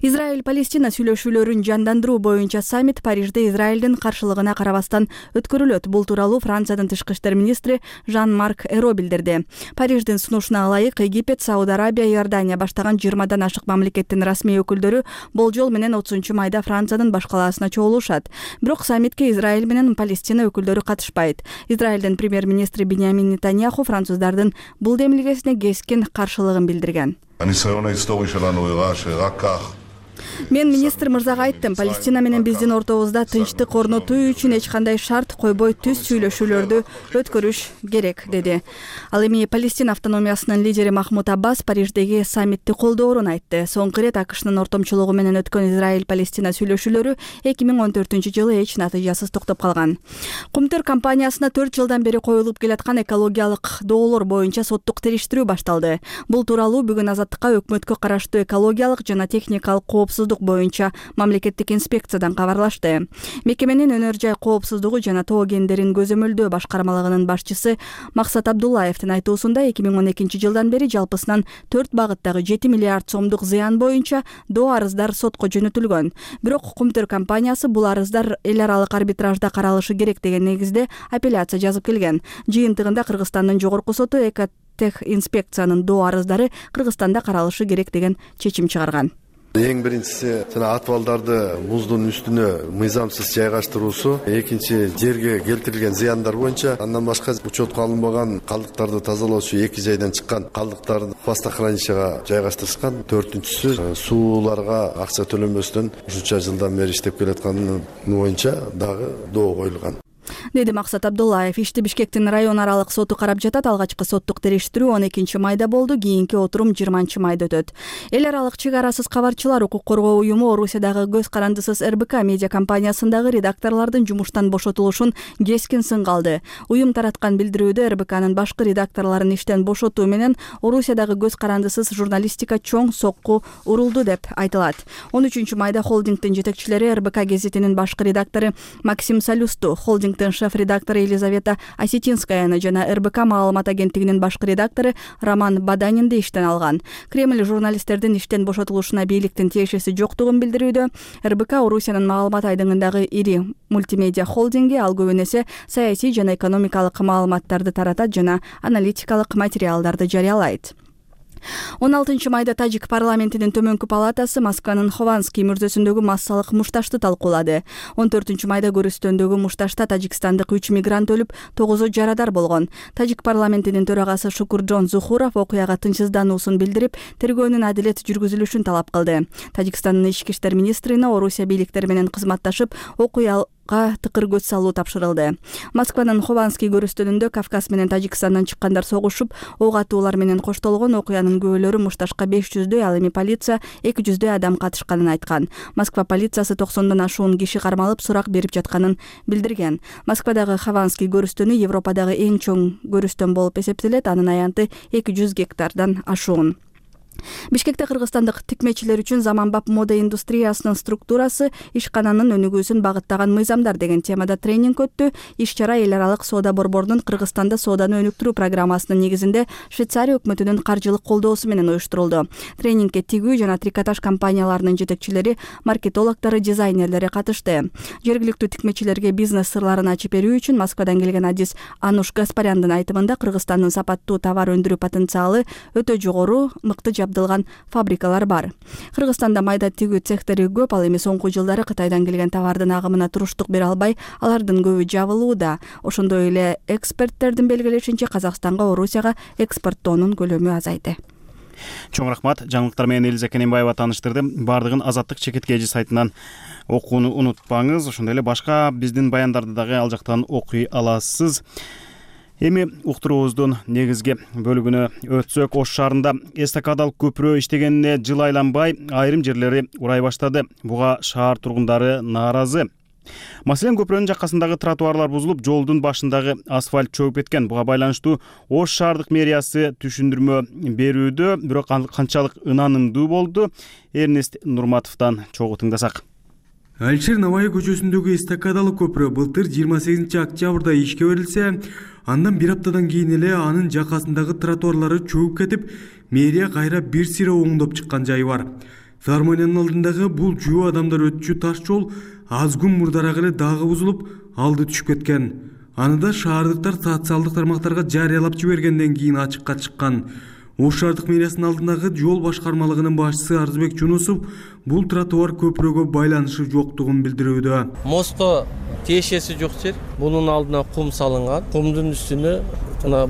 Израиль-Палестина сүйлөшүүлөрүн жандандыруу боюнча саммит Парижде Израилдин каршылыгына карабастан өткөрүлөт. Бул тууралуу Франциянын тышкы иштер министри Жан-Марк Эро билдирди. Париждин сунушуна ылайык Египет, Сауд Арабия, Иордания баштаган 20дан ашык мамлекеттин расмий өкүлдөрү болжол менен 30 майда Франциянын баш калаасына чогулушат. Бирок саммитке Израиль менен Палестина өкүлдөрү катышпайт. Израилдин премьер-министри Биньямин Нетаньяху француздардын бул демилгесине кескин каршылыгын билдирген. Мен министр мырзага айттым, Палестина менен биздин ортобузда тынчтык орнотуу үчүн эч кандай шарт койбой түз сүйлөшүүлөрдү өткөрүш керек, деди. Ал эми Палестина автономиясынын лидери Махмуд Аббас Париждеги саммитти колдоорун айтты. Соңку ирет АКШнын ортомчулугу менен өткөн Израиль-Палестина сүйлөшүүлөрү 2014-жылы эч натыйжасыз токтоп калган. Кумтөр компаниясына 4 жылдан бери коюлуп келаткан экологиялык доолор боюнча соттук териштирүү башталды. Бул тууралуу бүгүн Азаттыкка өкмөткө караштуу экологиялык жана техникалык коопсуздук боюнча мамлекеттик инспекциядан кабарлашты. Мекеменин өнөр жай коопсуздугу жана тоо кендерин көзөмөлдөө башкармалыгынын башчысы Максат Абдуллаевдин айтуусунда 2012 жылдан бери жалпысынан 4 багыттагы 7 миллиард сомдук зыян боюнча доо арыздар сотко жөнөтүлгөн. Бирок Кумтөр компаниясы бул арыздар эл аралык арбитражда каралышы керек деген негизде апелляция жазып келген. Жыйынтыгында Кыргызстандын жогорку соту Экотех инспекциянын доо арыздары Кыргызстанда каралышы керек деген чечим чыгарган. Эң биринчиси жана атыбалдарды муздун үстүнө мыйзамсыз жайгаштыруусу, экинчи жерге келтирилген зыяндар боюнча, андан башка учетко алынбаган калдыктарды тазалоочу 2 жайдан чыккан калдыктарды хвостохранилищеге жайгаштырышкан, төртүнчүсү сууларга акча төлөнбөстөн ушунча жылдан бери иштеп келатканы боюнча дагы доо коюлган, деди Максат Абдуллаев. Ишти Бишкектин район аралык соту карап жатат. Алгачкы соттук териштирүү 12 майда болду, кийинки отурум 20 майда өтөт. Эл аралык чек арасыз кабарчылар укук коргоо уюму Орусиядагы көз карандысыз РБК медиа компаниясындагы редакторлордун жумуштан бошотулушун кескин сынга алды. Уюм тараткан билдирүүдө РБКнын башкы редакторлорун иштен бошотуу менен Орусиядагы көз карандысыз журналистика чоң сокку урулду деп айтылат. 13 майда холдингдин жетекчилери РБК гезитинин башкы редактору Максим Салюсту, холдингдин шеф редактору Елизавета Осетинскаяны жана РБК маалымат агенттигинин башкы редактору Роман Баданинди иштен алган. Кремль журналисттердин иштен бошотулушуна бийликтин тиешеси жоктугун билдирүүдө. РБК Орусиянын маалымат айдыңындагы ири мультимедиа холдинги, ал көбүн эсе саясий жана экономикалык маалыматтарды таратат жана аналитикалык материалдарды жарыялайт. 16 майда Тажик парламентинин төмөнкү палатасы Москванын Хованский мүрзөсүндөгү массалык мушташты талкуулады. 14 майда көрүстөндөгү мушташта тажикстандык 3 мигрант өлүп, 9-у жарадар болгон. Тажик парламентинин төрагасы Шукурджон Зухуров окуяга тынчсыздануусун билдирип, тергөөнүн адилет жүргүзүлүшүн талап кылды. Тажикстандын ички иштер министрине Орусия бийликтери менен кызматташып, окуя тыкыр көз салуу тапшырылды. Москванын Хованский көрүстөнүндө Кавказ менен Тажикстандан чыккандар согушуп, ок атуулар менен коштолгон. Окуянын күбөлөрү мушташка 500дөй, ал эми полиция 200дөй адам катышканын айткан. Москва полициясы 90дон ашуун киши кармалып, сурак берип жатканын билдирген. Москвадагы Хованский көрүстөнү Европадагы эң чоң көрүстөн болуп эсептелет. Анын аянты 200 гектардан ашуун. Бишкекте кыргызстандык тикмечилер үчүн заманбап мода индустриясынын структурасы, ишкананын өнүгүүсүн багыттаган мыйзамдар деген темада тренинг өттү. Иш-чара эл аралык соода борборунун Кыргызстанда сооданы өнүктүрүү программасынын негизинде Швейцария өкмөтүнүн каржылык колдоосу менен уюштурулду. Тренингке тигүү жана трикотаж компанияларынын жетекчилери, маркетологдору, дизайнерлери катышты. Жергиликтүү тикмечилерге бизнес сырларын ачып берүү үчүн Москвадан келген адис Ануш Гаспаряндын айтымында Кыргызстандын сапаттуу товар өндүрүү потенциалы өтө жогору, мыкты жабдылган фабрикалар бар. Кыргызстанда майда тигүү цехтери көп, ал эми соңку жылдары Кытайдан келген товардын агымына туруштук бере албай, алардын көбү жабылууда. Ошондой эле эксперттердин белгилешинче Казакстанга Орусияга экспорттоонун көлөмү азайды. Чоң рахмат. Жаңылыктар менен Элиза Кененбаева тааныштырды. Бардыгын Азаттык чекиткежи сайтынан окууну унутпаңыз. Ошондой эле башка биздин баяндарды дагы ал жактан окуй аласыз. Эми уктуруубуздун негизги бөлүгүнө өтсөк, Ош шаарында эстакадалык көпүрө иштегенине жыл айланбай, айрым жерлери урай баштады. Буга шаар тургундары нааразы. Маселен, көпүрөнүн жаккасындагы тротуарлар бузулуп, жолдун башындагы асфальт чөгүп кеткен. Буга байланыштуу Ош шаардык мэриясы түшүндүрмө берүүдө, бирок канчалык ынанымдуу болду? Эрнест Нурматовдон чогуу тыңдасак. Алишер Наваи көчөсүндөгү эстакадалык көпүрө былтыр 28 октябрда ишке берилсе, андан бир аптадан кийин эле анын жакасындагы тротуарлары чөгүп кетип, мэрия кайра бир сыйра оңдоп чыккан жайы бар. Филармониянын алдындагы бул жөө адамдар өтчү таш жол аз күн мурдараак эле дагы бузулуп, алды түшүп кеткен. Аны да шаардыктар социалдык тармактарга жарыялап жибергенден кийин ачыкка чыккан. Ош шаардык мэриясынын алдындагы жол башкармалыгынын башчысы Арзыбек Жунусов бул тротуар көпүрөгө байланышы жоктугун билдирүүдө. Мостко тиешеси жок жер. Бунун алдына кум салынган. Кумдун үстүнө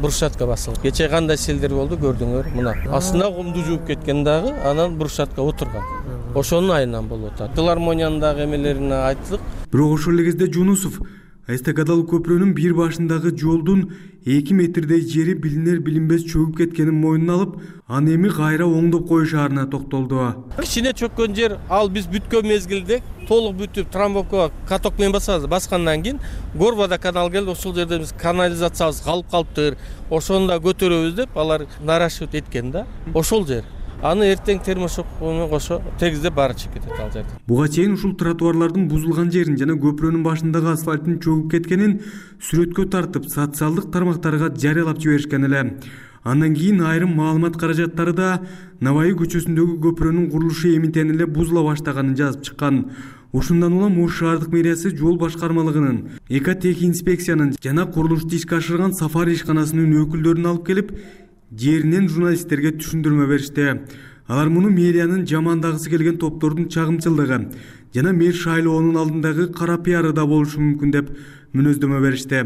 брусчатка басылган. Кече кандай селдер болду көрдүңөр. Мына астына кумду жууп кеткен дагы, анан брусчатка отурган. Ошонун айынан болуп атат. Филармониянын дагы эмелерине айттык. Бирок ошол эле кезде Жунусов эстакадалык көпүрөнүн бир башындагы жолдун 2 метрдей жери билинер билинбес чөгүп кеткенин мойнуна алып, аны эми кайра оңдоп коюшаарына токтолду. Кичине чөккөн жер, ал биз бүткөн мезгилде толук бүтүп трамбовкага каток менен баскандан кийин Горбада канал келди, ошол жерде биз канализациябыз калып калыптыр. Ошону да көтөрөбүз деп алар нарашып эткен да. Ошол жер. Аны эртең термошок менен кошо тегиздеп баары чыгып кетет ал жерде. Буга чейин ушул тротуарлардын бузулган жерин жана көпүрөнүн башындагы асфальттын чөгүп кеткенин сүрөткө тартып, социалдык тармактарга жарыялап жиберишкен эле. Андан кийин айрым маалымат каражаттары да Наваи көчөсүндөгү көпүрөнүн курулушу эминтен эле бузула баштаганын жазып чыккан. Ошондон улам Ош шаардык мэриясы жол башкармалыгынын, экотехинспекциянын жана курулушду ишке ашырган Сафари ишканасынын өкүлдөрүн алып келип, жеринен журналисттерге түшүндүрмө беришти. Алар муну мэриянын жамандагысы келген топтордун чагымчылдыгы жана мэр шайлоонун алдындагы кара пиары да болушу мүмкүн деп мүнөздөмө беришти.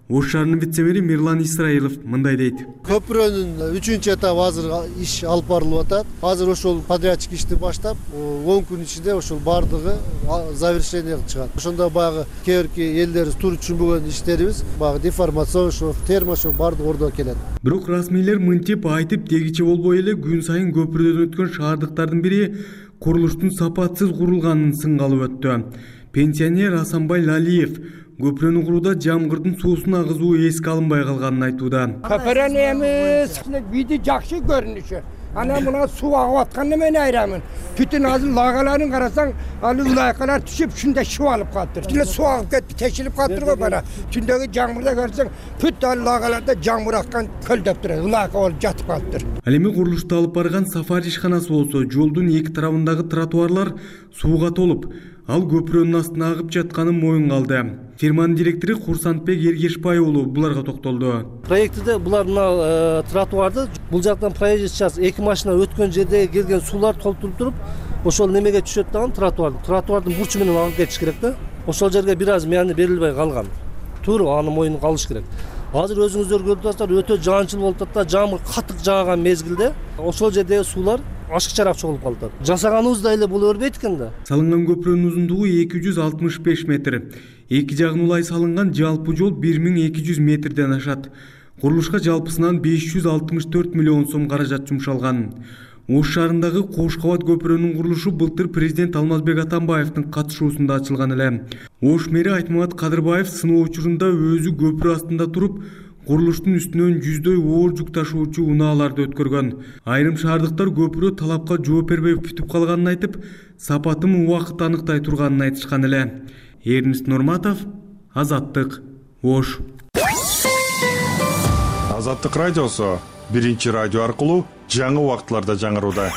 Ош шаарынын вице-мэри Мирлан Исраилов мындай дейт. Көпүрөнүн 3-этабы азыр иш алып барылып атат. Азыр ошол подрядчик ишти баштап, 10 күн ичинде ошол бардыгы завершенияга чыгат. Ошондо баягы кээбирки элдер тур түшүнбөгөн иштерибиз, баягы деформацион, термошок бардыгы ордо келет. Бирок расмийлер мынтип айтып дегиче болбой эле күн сайын көпүрөдөн өткөн шаардыктардын бири курулуштун сапатсыз курулганын сынга алып өттү. Пенсионер Асанбай Лалиев көпүрөнү курууда жамгырдын суусун агызуу эске алынбай калганын айтууда. Көпүрөнү эми види жакшы көрүнүшү. Анан мына суу агып аткан эмени айрамын. Бүтүн азыр лагаларын карасаң, ал ылайкалар түшүп, ушундай шуу алып калыптыр. Тиле суу агып кетип, тешилип калыптыр го бана. Түндөгү жаңбырда көрсөң, бүт ал лагаларда жаңбыр аккан көлдөп турат, ылайка болуп жатып калыптыр. Ал эми курулушту алып барган сафар ишканасы болсо, жолдун эки тарабындагы тротуарлар сууга толуп, ал көпүрөнүн астына агып жатканын моюнга алды. Фирманын директору Курсантбек Эргешбай уулу буларга токтолду. Проектиде булар мына тротуарды бул жактан проезд час эки машина өткөн жерде келген суулар толтуруп туруп, ошол немеге түшөт дагы тротуардын бурчу менен агып кетиш керек да. Ошол жерге бир аз мени берилбей калган. Туура аны моюнга алыш керек. Азыр өзүңүздөр көрүп атасыздар, өтө жаанчыл болуп атат да, жамгыр катык жааган мезгилде ошол жердеги суулар ашыкчараак чогулуп калат. Жасаганыбызда эле боло бербейт экен да. Салынган көпүрөнүн узундугу 265 метр. Эки жагын улай салынган жалпы жол 1200 метрден ашат. Курулушка жалпысынан 564 миллион сом каражат жумшалган. Ош шаарындагы Кош кабат көпүрөнүн курулушу былтыр президент Алмазбек Атамбаевдин катышуусунда ачылган эле. Ош мэри Айтмамат Кадырбаев сыноо учурунда өзү көпүрө астында туруп, курулуштун үстүнөн жүздөй оор жүк ташуучу унааларды өткөргөн. Айрым шаардыктар көпүрө талапка жооп бербей бүтүп калганын айтып, сапатын убакыт аныктай турганын айтышкан эле. Эрнест Нурматов, Азаттык, Ош. Азаттык радиосу биринчи радио аркылуу жаңы убакытларда жаңырууда.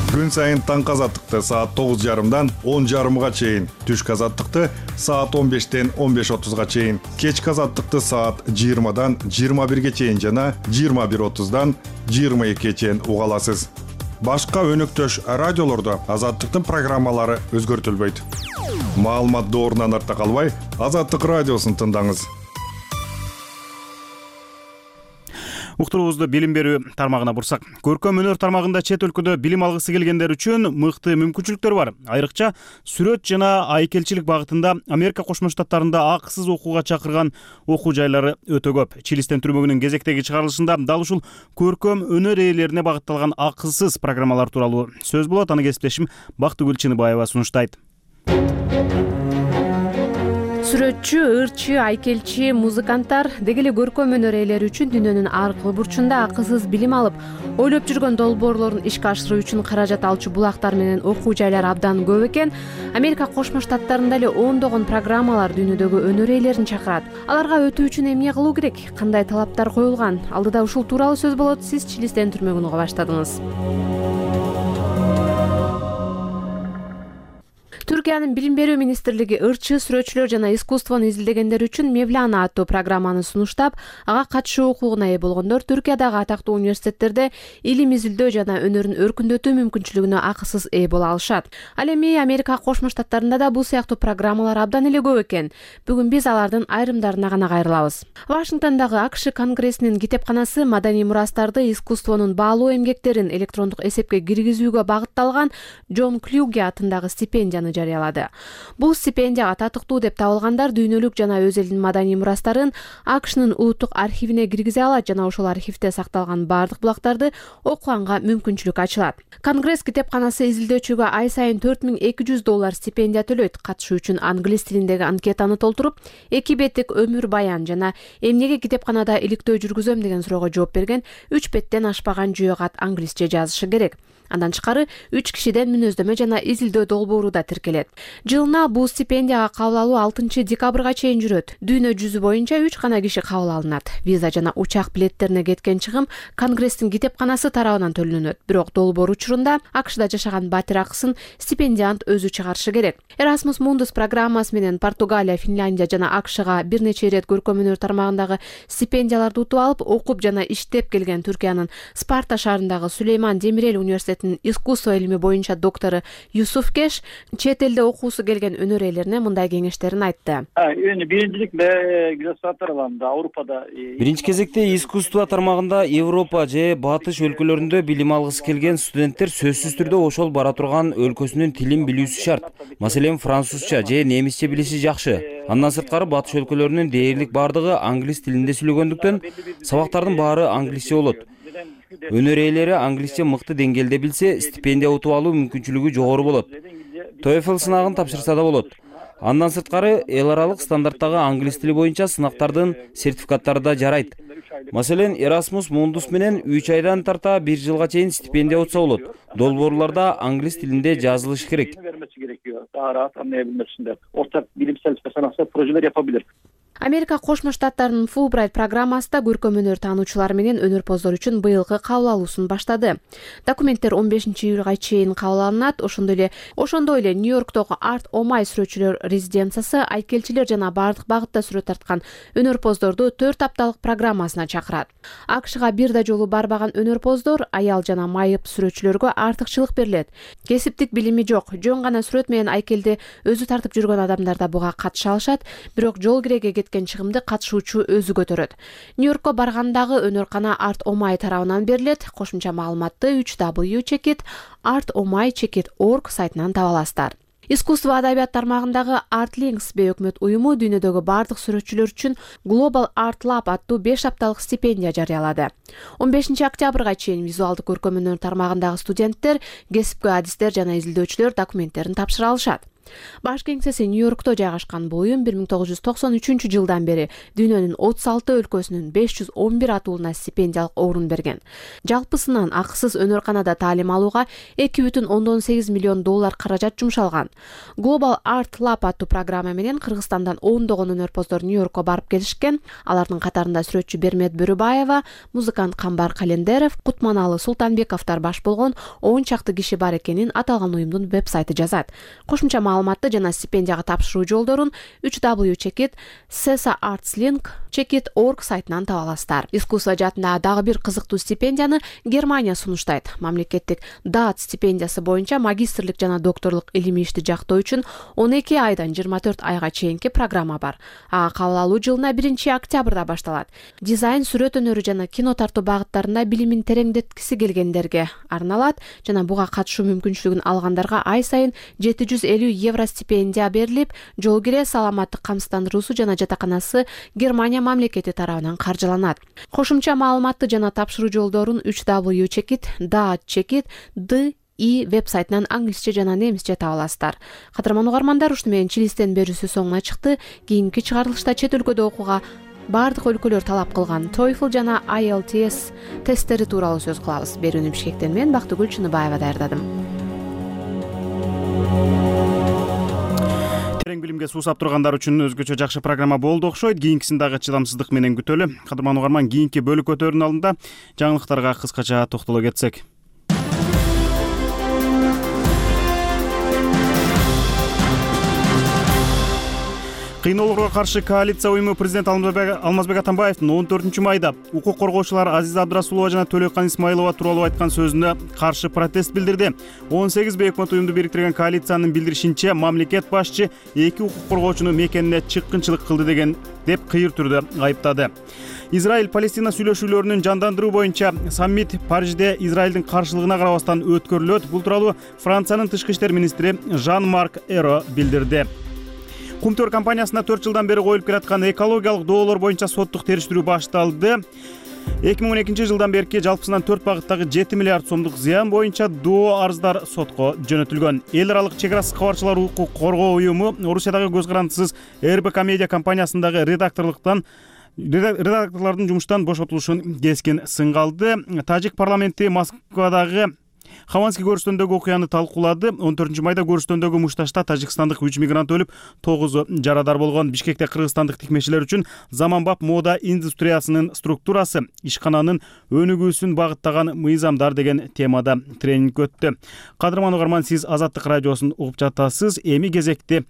Күн сайын таңкы азаттыкты саат 9:30 10:30 чейин, түшкү азаттыкты саат 15-тен 15:30 чейин, кечки азаттыкты саат 20-дан 21 чейин жана 21:30-дан 22 чейин уга аласыз. Башка өнөктөш радиолордо азаттыктын программалары өзгөртүлбөйт. Маалымат доорунан артта калбай, Азаттык радиосун тыңдаңыз. Уктуруубузду билим берүү тармагына бурсак, көркөм өнөр тармагында чет өлкөдө билим алгысы келгендер үчүн мыкты мүмкүнчүлүктөр бар. Айрыкча сүрөт жана айкелчилик багытында Америка Кошмо Штаттарында акысыз окууга чакырган окуу жайлары өтө көп. Чилистен түрмөгүнүн кезектеги чыгарылышында дал ушул көркөм өнөр ээлерине багытталган акысыз программалар тууралуу сөз болот. Аны кесиптешим Бактыгүл Чыныбаева сунуштайт. Сүрөтчү, ырчы, айкелчи, музыканттар деги эле көркөм өнөр ээлери үчүн дүйнөнүн ар кыл бурчунда акысыз билим алып, ойлоп жүргөн долбоорлорун ишке ашыруу үчүн каражат алчу булактар менен окуу жайлар абдан көп экен. Америка Кошмо Штаттарында эле ондогон программалар дүйнөдөгү өнөр ээлерин чакырат. Аларга өтүү үчүн эмне кылуу керек? Кандай талаптар коюлган? Алдыда ушул тууралуу сөз болот. Сиз Чилистен түрмөгүн уга баштадыңыз. Түркиянын билим берүү министрлиги ырчы, сүрөтчүлөр жана искусствону изилдегендер үчүн Мевлана аттуу программаны сунуштап, ага катышуу укугуна ээ болгондор Түркиядагы атактуу университеттерде илим изилдөө жана өнөрүн өркүндөтүү мүмкүнчүлүгүнө акысыз ээ боло алышат. Ал эми Америка Кошмо Штаттарында да бул сыяктуу программалар абдан эле көп экен. Бүгүн биз алардын айрымдарына гана кайрылабыз. Вашингтондогу АКШ Конгрессинин китепканасы маданий мурастарды, искусствонун баалуу эмгектерин электрондук эсепке киргизүүгө багытталган Джон Клюге атындагы стипендияны жарыялады. Бул стипендияга татыктуу деп табылгандар дүйнөлүк жана өз элинин маданий мурастарын АКШнын улуттук архивине киргизе алат жана ошол архивде сакталган бардык булактарды окуганга мүмкүнчүлүк ачылат. Конгресс китепканасы изилдөөчүгө ай сайын $4200 стипендия төлөйт. Катышуу үчүн англис тилиндеги анкетаны толтуруп, 2 беттик өмүр баян жана эмнеге китепканада иликтөө жүргүзөм деген суроого жооп берген 3 беттен ашпаган жүйө кат англисче жазышы керек. Андан тышкары 3 кишиден мүнөздөмө жана изилдөө долбоору да тиркелет. Жылына бул стипендияга кабыл алуу 6 декабрга чейин жүрөт. Дүйнө жүзү боюнча 3 гана киши кабыл алынат. Виза жана учак билеттерине кеткен чыгым Конгресстин китепканасы тарабынан төлөнөт. Бирок долбоор учурунда АКШда жашаган батир акысын стипендиант өзү чыгарышы керек. Erasmus Mundus программасы менен Португалия, Финляндия жана АКШга бир нече ирет көркөм өнөр тармагындагы стипендияларды утуп алып, окуп жана иштеп келген Түркиянын Спарта шаарындагы Сулейман Демирел университетинин искусство илими боюнча доктору Юсуф Кеш чет элде окуусу келген өнөр ээлерине мындай кеңештерин айтты. Биринчилик государстварда Авропада. Биринчи кезекте искусство тармагында Европа же Батыш өлкөлөрүндө билим алгысы келген студенттер сөзсүз түрдө ошол бара турган өлкөсүнүн тилин билүүсү шарт. Маселен, французча же немисче билиши жакшы. Андан сырткары Батыш өлкөлөрүнүн дээрлик бардыгы англис тилинде сүйлөгөндүктөн сабактардын баары англисче болот. Өнөр ээлери англисче мыкты деңгээлде билсе, стипендия утуп алуу мүмкүнчүлүгү жогору болот. TOEFL сынагын тапшырса да болот. Андан сырткары эл аралык стандарттагы англис тили боюнча сынактардын сертификаттары да жарайт. Маселен, Erasmus Mundus менен 3 айдан тарта 1 жылга чейин стипендия утса болот. Долбоорлорда англис тилинде жазылыш керек. Daha rahat anlayabilmesinde. Ortak bilimsel ve sanatsal projeler yapabilir. Америка Кошмо Штаттарынын Fulbright программасында көркөм өнөр таануучулар менен өнөрпоздор үчүн быйылкы кабыл алуусун баштады. Документтер 15-июлга чейин кабыл алынат. Ошондой эле Нью-Йорктогу Art Omai сүрөтчүлөр резиденциясы айкелчилер жана бардык багытта сүрөт тарткан өнөрпоздорду 4 апталык программасына чакырат. АКШга бир да жолу барбаган өнөрпоздор аял жана майып сүрөтчүлөргө артыкчылык берилет. Кесиптик билими жок, жөн гана сүрөт менен айкелди өзү тартып жүргөн адамдар да буга катыша алышат, бирок жол киреге кеткен чыгымды катышуучу өзү көтөрөт. Нью-Йоркко баргандагы өнөркана Art Omai тарабынан берилет. Кошумча маалыматты www.artomai.org сайтынан таба аласыздар. Искусство адабият тармагындагы Artlinks бейөкмөт уюму дүйнөдөгү бардык сүрөтчүлөр үчүн Global Art Lab аттуу 5 апталык стипендия жарыялады. 15 октябрга чейин визуалдык көркөм өнөр тармагындагы студенттер, кесипкөй адистер жана изилдөөчүлөр документтерин тапшыра алышат. Баш кеңсеси Нью-Йоркто жайгашкан бул уюм 1993 бери дүйнөнүн 36 өлкөсүнүн 511 атуулуна стипендиялык орун берген. Жалпысынан акысыз өнөрканада таалим алууга $2,8 миллион каражат жумшалган. Global Art Lab аттуу программа менен Кыргызстандан ондогон өнөрпоздор Нью-Йоркко барып келишкен. Алардын катарында сүрөтчү Бермет Бөрүбаева, музыкант Камбар Календеров, Кутманалы Султанбековдор баш болгон 10 чакты киши бар экенин аталган уюмдун веб-сайты жазат. Кошумча маалыматты жана стипендияга тапшыруу жолдорун www.cesarartslink.org сайтынан таба аласыздар. Искусство жаатындагы дагы бир кызыктуу стипендияны Германия сунуштайт. Мамлекеттик ДААТ стипендиясы боюнча магистрлик жана докторлук илимий ишти жактоо үчүн 12 айдан 24 айга чейинки программа бар. Ага кабыл алуу жылына 1 октябрда башталат. Дизайн, сүрөт өнөрү жана кино тартуу багыттарында билимин тереңдеткиси келгендерге арналат жана буга катышуу мүмкүнчүлүгүн алгандарга ай сайын €750 стипендия берилип, жол кире, саламаттык камсыздандыруусу жана жатаканасы Германия мамлекети тарабынан каржыланат. Кошумча маалыматты жана тапшыруу жолдорун www.daat.di веб-сайтынан англисче жана немисче таба аласыздар. Кадырман угармандар, ушуну менен Чилистен берүүсү соңуна чыкты. Кийинки чыгарылышта чет өлкөдө окууга бардык өлкөлөр талап кылган TOEFL жана IELTS тесттери тууралуу сөз кылабыз. Берүүнү Бишкектен мен Бактыгүл Чыныбаева даярдадым. Терең билимге суусап тургандар үчүн өзгөчө жакшы программа болду окшойт. Кийинкисин дагы чыдамсыздык менен күтөлү. Кадырман угарман, кийинки бөлүкөтөрдүн алдында жаңылыктарга кыскача токтоло кетсек. Кыйноолорго каршы коалиция уюму президент Алмазбек Атамбаевдин 14 майда укук коргоочулар Азиза Абдрасулова жана Төлөйкан Исмаилова тууралуу айткан сөзүнө каршы протест билдирди. 18 бейөкмөт уюмду бириктирген коалициянын билдиришинче, мамлекет башчы 2 укук коргоочуну мекенине чыккынчылык кылды деп кыйыр түрдө айыптады. Израиль-Палестина сүйлөшүүлөрүнүн жандандыруу боюнча саммит Парижде Израилдин каршылыгына карабастан өткөрүлөт. Бул тууралуу Франциянын тышкы иштер министри Жан-Марк Эро билдирди. Кумтөр компаниясына 4 жылдан бери коюлуп келаткан экологиялык доолор боюнча соттук териштирүү башталды. 2012 жылдан бери жалпысынан 4 багыттагы 7 миллиард сомдук зыян боюнча доо арыздар сотко жөнөтүлгөн. Эл аралык чек ара кабарчылар укук коргоо уюму Орусиядагы көз карандысыз РБК медиа компаниясындагы редакторлордун жумуштан бошотулушун кескин сынга алды. Тажик парламенти Москвадагы Хованский көрүстөндөгү окуяны талкуулады. 14 майда көрүстөндөгү мушташта тажикстандык 3 мигрант өлүп, 9 жарадар болгон. Бишкекте кыргызстандык тикмечилер үчүн заманбап мода индустриясынын структурасы, ишкананын өнүгүүсүн багыттаган мыйзамдар деген темада тренинг өттү. Кадырман угарман, сиз Азаттык радиосун угуп жатасыз. Эми кезекти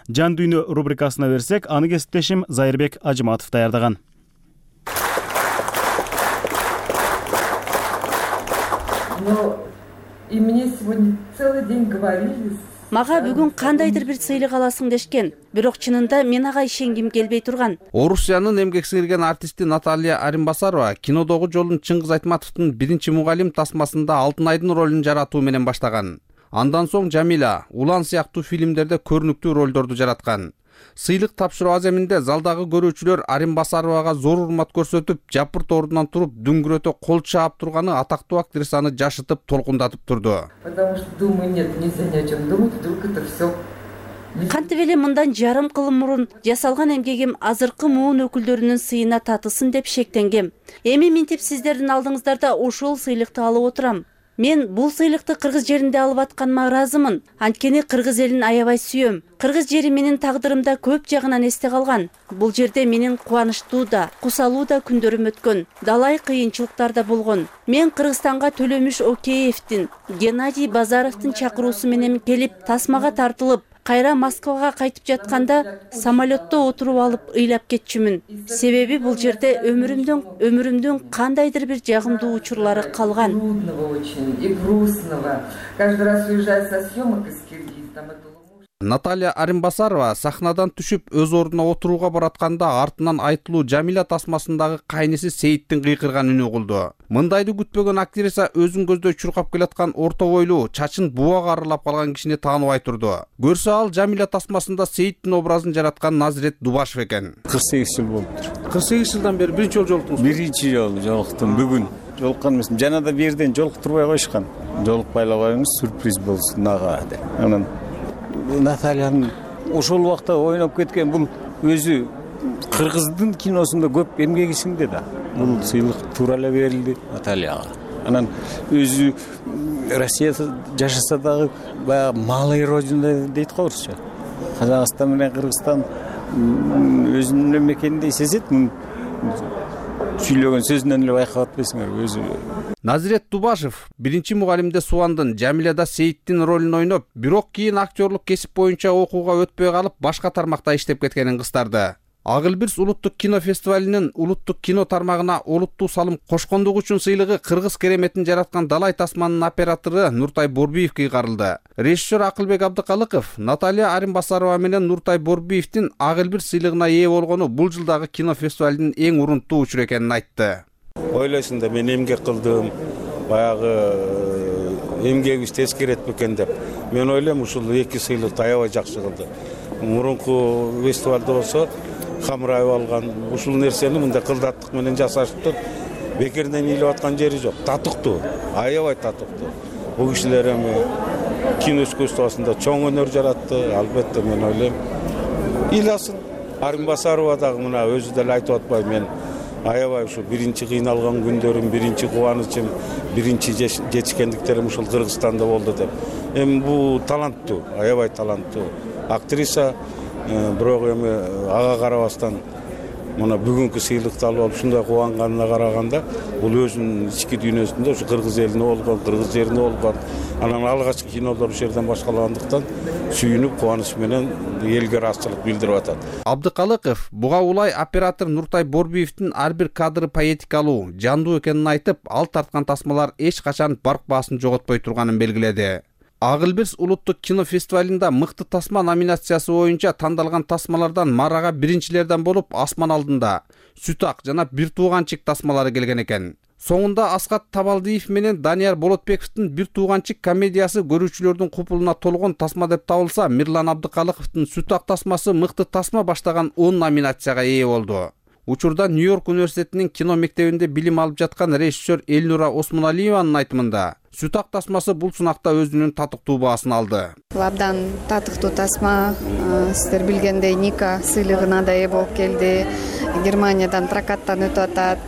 Жан дүйнө рубрикасына берсек, аны кесиптешим Зайырбек Ажыматов даярдаган. И мне сегодня целый день говорили. Мага бүгүн кандайдыр бир сыйлык аласың дешкен, бирок чынында мен ага ишенгим келбей турган. Орусиянын эмгек сиңирген артисти Наталья Аримбасарова кинодогу жолун Чыңгыз Айтматовдун биринчи мугалим тасмасында Алтын айдын ролун жаратуу менен баштаган. Андан соң Жамиля, Улан сыяктуу фильмдерде көрүнүктүү ролдорду жараткан. Сыйлык тапшыруу аземинде залдагы көрүүчүлөр Аримбасаровага зор урмат көрсөтүп, жапырт ордунан туруп, дүңгүрөтө кол чаап турганы атактуу актрисаны жашытып, толкундатып турду. Потому что думаю, нет, нельзя ни о чем думать, вдруг это все Кантип эле мындан жарым кыл мурун жасалган эмгегим азыркы муун өкүлдөрүнүн сыйына татылсын деп шектенгем. Эми минтип сиздердин алдыңыздарда ошол сыйлыкты алып отурам. Мен бул сыйлыкты кыргыз жеринде алып атканыма ыраазымын. Анткени кыргыз элин аябай сүйөм. Кыргыз жери менин тагдырымда көп жагынан эсте калган. Бул жерде менин кубанычтуу да, кусалуу да күндөрүм өткөн. Далай кыйынчылыктар да болгон. Мен Кыргызстанга Төлөмүш Океевдин, Геннадий Базаровдун чакыруусу менен келип, тасмага тартылып, кайра Москвага кайтып жатканда самолетто отуруп алып ыйлап кетчүмүн. Себеби бул жерде өмүрүмдүн кандайдыр бир жагымдуу учурлары калган. И грустного. Каждый раз уезжая со съемок из Киргизстана. Наталья Аримбасарова сахнадан түшүп өз ордуна отурууга баратканда артынан айтылуу Жамиля тасмасындагы кайниси Сейиттин кыйкырган үнү угулду. Мындайды күтпөгөн актриса өзүн көздөй чуркап келаткан орто бойлуу, чачын буга арылап калган кишини тааныбай турду. Көрсө ал Жамиля тасмасында Сейиттин образын жараткан Назирет Дубашев экен. 48 жыл болуптур. 48 жылдан бери биринчи жолу жолуктуңуз? Биринчи жолу жолуктум бүгүн. Жолуккан эмесмин. Жана да бирден жолуктурбай коюшкан. Жолукпай эле коюңуз, сюрприз болсун ага деп. Анан Натальянын ошол убакта ойноп кеткен бул өзү кыргыздын киносунда көп эмгеги сиңди да. Бул сыйлык туура эле берилди Натальяга. Анан өзү Россияда жашаса дагы баягы малый родина дейт го орусча. Казакстан менен Кыргызстан өзүнүн мекениндей сезет. Сүйлөгөн сөзүнөн эле байкап атпайсыңарбы өзү. Назирет Дубашев биринчи мугалимде Субандын, Жамиляда Сейиттин ролун ойноп, бирок кийин актерлук кесип боюнча окууга өтпөй калып, башка тармакта иштеп кеткенин кыстарды. Ак Элбирс улуттук кино фестивалинин улуттук кино тармагына олуттуу салым кошкондугу үчүн сыйлыгы кыргыз кереметин жараткан Далай тасманын оператору Нуртай Борбиевге кыйгарылды. Режиссер Акылбек Абдыкалыков Наталья Аримбасарова менен Нуртай Борбиевдин Ак Элбирс сыйлыгына ээ болгону бул жылдагы кино фестивалинин эң урунттуу учуру экенин айтты. Ойлойсуң да мен эмгек кылдым, баягы эмгегибиз тескерет бекен деп. Мен ойлойм ушул эки сыйлыкты аябай жакшы кылды. Мурунку фестивалда болсо камырайып алган ушул нерсени мындай кылдаттык менен жасашыптыр. Бекерден ыйлап аткан жери жок. Татыктуу, аябай татыктуу. Бул кишилер эми кино искусствосунда чоң өнөр жаратты. Албетте мен ойлойм ыйласын. Аримбасарова дагы мына өзү деле айтып атпайбы, мен аябай ушу биринчи кыйналган күндөрүм, биринчи кубанычым, биринчи жетишкендиктерим ушул Кыргызстанда болду деп. Эми бул таланттуу, аябай таланттуу актриса, бирок эми ага карабастан мына бүгүнкү сыйлыкты алып ушундай кубанганына караганда, бул өзүнүн ички дүйнөсүндө ушу кыргыз элине болгон, кыргыз жерине болгон, анан алгачкы кинолор ушул жерден башкалагандыктан сүйүнүп, кубаныч менен элге ыраазычылык билдирип атат. Абдыкалыков буга улай оператор Нуртай Борбиевдин ар бир кадры поэтикалуу, жандуу экенин айтып, ал тарткан тасмалар эч качан барк баасын жоготпой турганын белгиледи. Ак Элбирс улуттук кино фестивалында мыкты тасма номинациясы боюнча тандалган тасмалардан марага биринчилерден болуп Асман алдында, Сүт ак жана Бир тууганчик тасмалары келген экен. Соңунда Аскат Табалдиев менен Данияр Болотбековдун Бир тууганчик комедиясы көрүүчүлөрдүн купулуна толгон тасма деп табылса, Мирлан Абдыкалыковдун Сүт ак тасмасы мыкты тасма баштаган 10 номинацияга ээ болду. Учурда Нью-Йорк университетинин кино мектебинде билим алып жаткан режиссер Элнура Осмоналиеванын айтымында, Сүт ак тасмасы бул сынакта өзүнүн татыктуу баасын алды. Абдан татыктуу тасма, сиздер билгендей Ника сыйлыгына да ээ болуп келди. Германиядан прокаттан өтүп атат.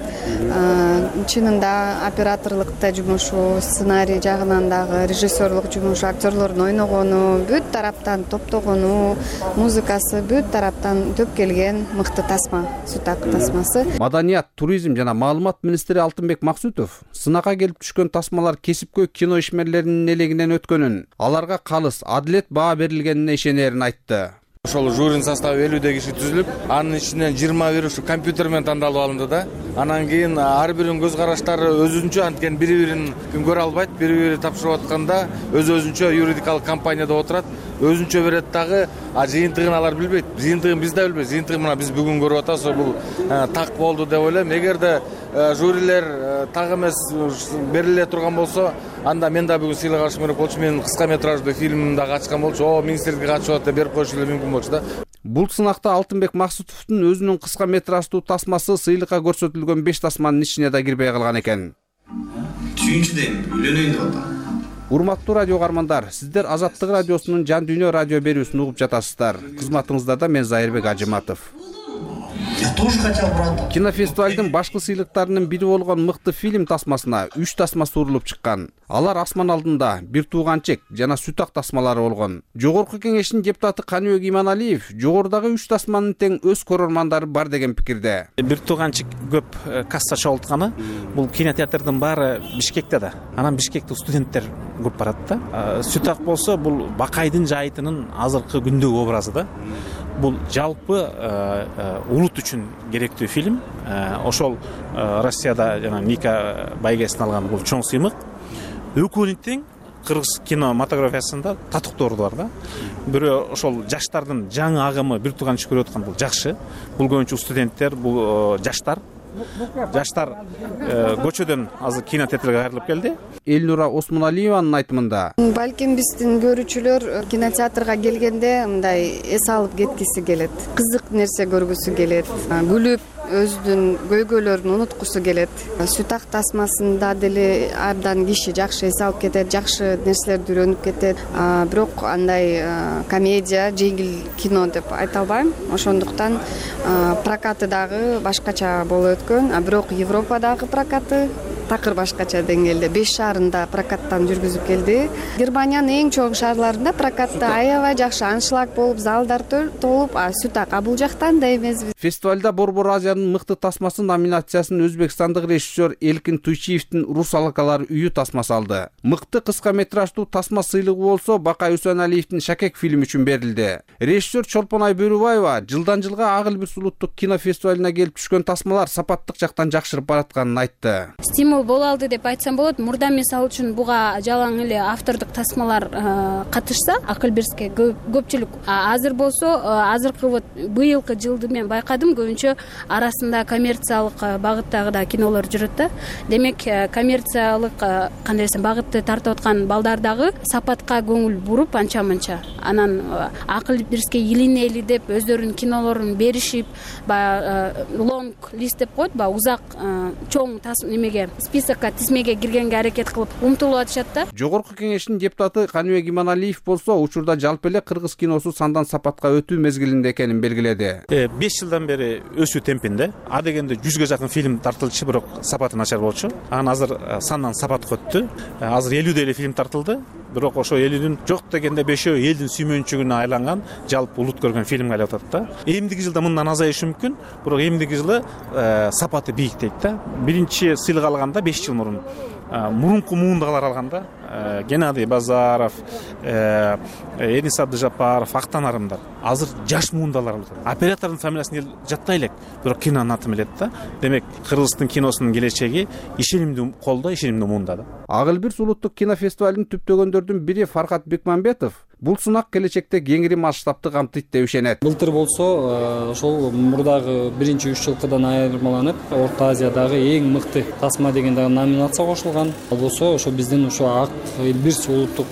Чынында операторлукта жумушу, сценарий жагынан дагы, режиссерлук жумушу, актерлордун ойногону, бүт тараптан топтогону, музыкасы бүт тараптан төп келген мыкты тасма, Сүт ак тасмасы. Маданият, туризм жана маалымат министри Алтынбек Максутов сынакка келип түшкөн тасмалар кесипкөй кино ишмерлеринин элегинен өткөнүн, аларга калыс, адилет баа берилгенине ишенерин айтты. Ошол жюринин составы 50 киши түзүлүп, анын ичинен 21 ушу компьютер менен тандалып алынды да. Анан кийин ар биринин көз караштары өзүнчө, анткени бири-бирин көрө албайт, бири-бири тапшырып атканда өзүнчө юридикалык компанияда отурат, өзүнчө берет дагы, жыйынтыгын алар билбейт. Жыйынтыгын биз да билбейбиз. Жыйынтыгын мына биз бүгүн көрүп атабыз, бул так болду деп ойлойм. Эгерде жюрилер так эмес бериле турган болсо, анда мен да бүгүн сыйлык алышым керек болчу. Мен кыска метраждуу фильмим дагы ачкан болчу. Министрликке катышып атат деп берип коюшу эле мүмкүн болчу да. Бул сынакта Алтынбек Максутовдун өзүнүн кыска метраждуу тасмасы сыйлыкка көрсөтүлгөн 5 тасманын ичине да кирбей калган экен. Сүйүнчүдөн үйлөнөйүн деп атам. Урматтуу радио угармандар, сиздер Азаттык радиосунун Жан Дүйнө радио берүүсүн угуп жатасыздар. Кызматыңыздарда мен Зайырбек Ажыматов. Кинофестивалдын башкы сыйлыктарынын бири болгон мыкты фильм тасмасына 3 тасма сурулуп чыккан. Алар Асман алдында, Бир тууганчек жана Сүт ак тасмалары болгон. Жогорку кеңештин депутаты Каныбек Иманалиев жогорудагы 3 тасманын тең өз көрөрмандары бар деген пикирде. Бир тууганчек көп касса чогултканы, бул кинотеатрдын баары Бишкекте да. Анан Бишкекте студенттер көп барат да. Сүт ак болсо бул Бакайдын жайытынын азыркы күндөгү образы да. Бул жалпы улут үчүн керектүү фильм. Ошол Россияда жана Ника байгесин алган бул чоң сыймык. Экөөнү тең кыргыз кинематографиясында татыктоору бар да. Бирөө ошол жаштардын жаңы агымы бир тууганчы көрүп аткан бул жакшы. Бул көбүнчө студенттер, бул жаштар көчөдөн азыр кинотеатрга кайрылып келди. Элнура Осмоналиеванын айтымында, балким биздин көрүүчүлөр кинотеатрга келгенде мындай эс алып кеткиси келет, кызык нерсе көргүсү келет, күлүп өзүнүн көйгөйлөрүн унуткусу келет. Сүт ак тасмасында деле абдан киши жакшы эс алып кетет, жакшы нерселерди үйрөнүп кетет. Бирок андай комедия, жеңил кино деп айта албайм. Ошондуктан прокаты дагы башкача болуп өткөн, бирок Европадагы прокаты такыр башкача деңгээлде 5 шаарында прокаттан жүргүзүп келди. Германиянын эң чоң шаарларында прокатты аябай жакшы аншлаг болуп, залдар толуп, Сүт ак бул жактан да эмес. Фестивалда Борбор Азиянын мыкты тасмасы номинациясын өзбекстандык режиссер Элкин Туйчиевдин Рус алакалар үйү тасмасы алды. Мыкты кыска метраждуу тасма сыйлыгы болсо Бакай Үсөналиевдин Шакек фильми үчүн берилди. Режиссер Чолпонай Бөрүбаева жылдан жылга Ак Элбирс улуттук кинофестивалына келип түшкөн тасмалар сапаттык жактан жакшырып баратканын айтты. Стимул боло алды деп айтсам болот. Мурда мисалы үчүн буга жалаң эле автордук тасмалар катышса, Ак Элбирске көпчүлүк. Азыр болсо, азыркы вот быйылкы жылды мен байкадым, көбүнчө арасында коммерциялык багыттагы да кинолор жүрөт да. Демек, коммерциялык кандай десем багытты тартып аткан балдар дагы сапатка көңүл буруп анча-мынча. Анан Ак Элбирске илинели деп өздөрүнүн кинолорун беришип, лонг лист деп коет, узак чоң немеге списокко тизмеге киргенге аракет кылып умтулуп атышат да. Жогорку кеңештин депутаты Каныбек Иманалиев болсо учурда жалпы эле кыргыз киносу сандан сапатка өтүү мезгилинде экенин белгиледи. 5 жылдан бери өсүү темпинде. А дегенде 100га жакын фильм тартылчу, бирок сапаты начар болчу. Анан азыр сандан сапатка өттү. Азыр 50 эле фильм тартылды. Бирок ошо 50дин жок дегенде 5-өө элдин сүймөнчүгүнө айланган, жалпы улут көргөн фильмге айлап атат да. Эмдиги жылда мындан азайышы мүмкүн, бирок эмдиги жылы сапаты бийиктейт да. Биринчи сыйлык алганда 5 жыл мурун мурунку муундагылар алганда Геннадий Базаров, Энис Абдыжапаров, Актан Арымдар. Азыр жаш муундалар алат. Оператордун фамилиясын жаттай элек, бирок кинонун атын билет да. Демек, Кыргыздын киносунун келечеги ишенимдүү колдо, ишенимдүү муунда да. Ак Элбирс улуттук кинофестивалын түптөгөндөрдүн бири Фархат Бекмамбетов бул сынак келечекте кеңири масштабты камтыйт деп ишенет. Былтыр болсо, ошол мурдагы 1-3 жылкыдан айырмаланып, Орто Азиядагы эң мыкты тасма деген номинация кошулган. Ал болсо, ошо биздин ошо Ак Элбирс улуттук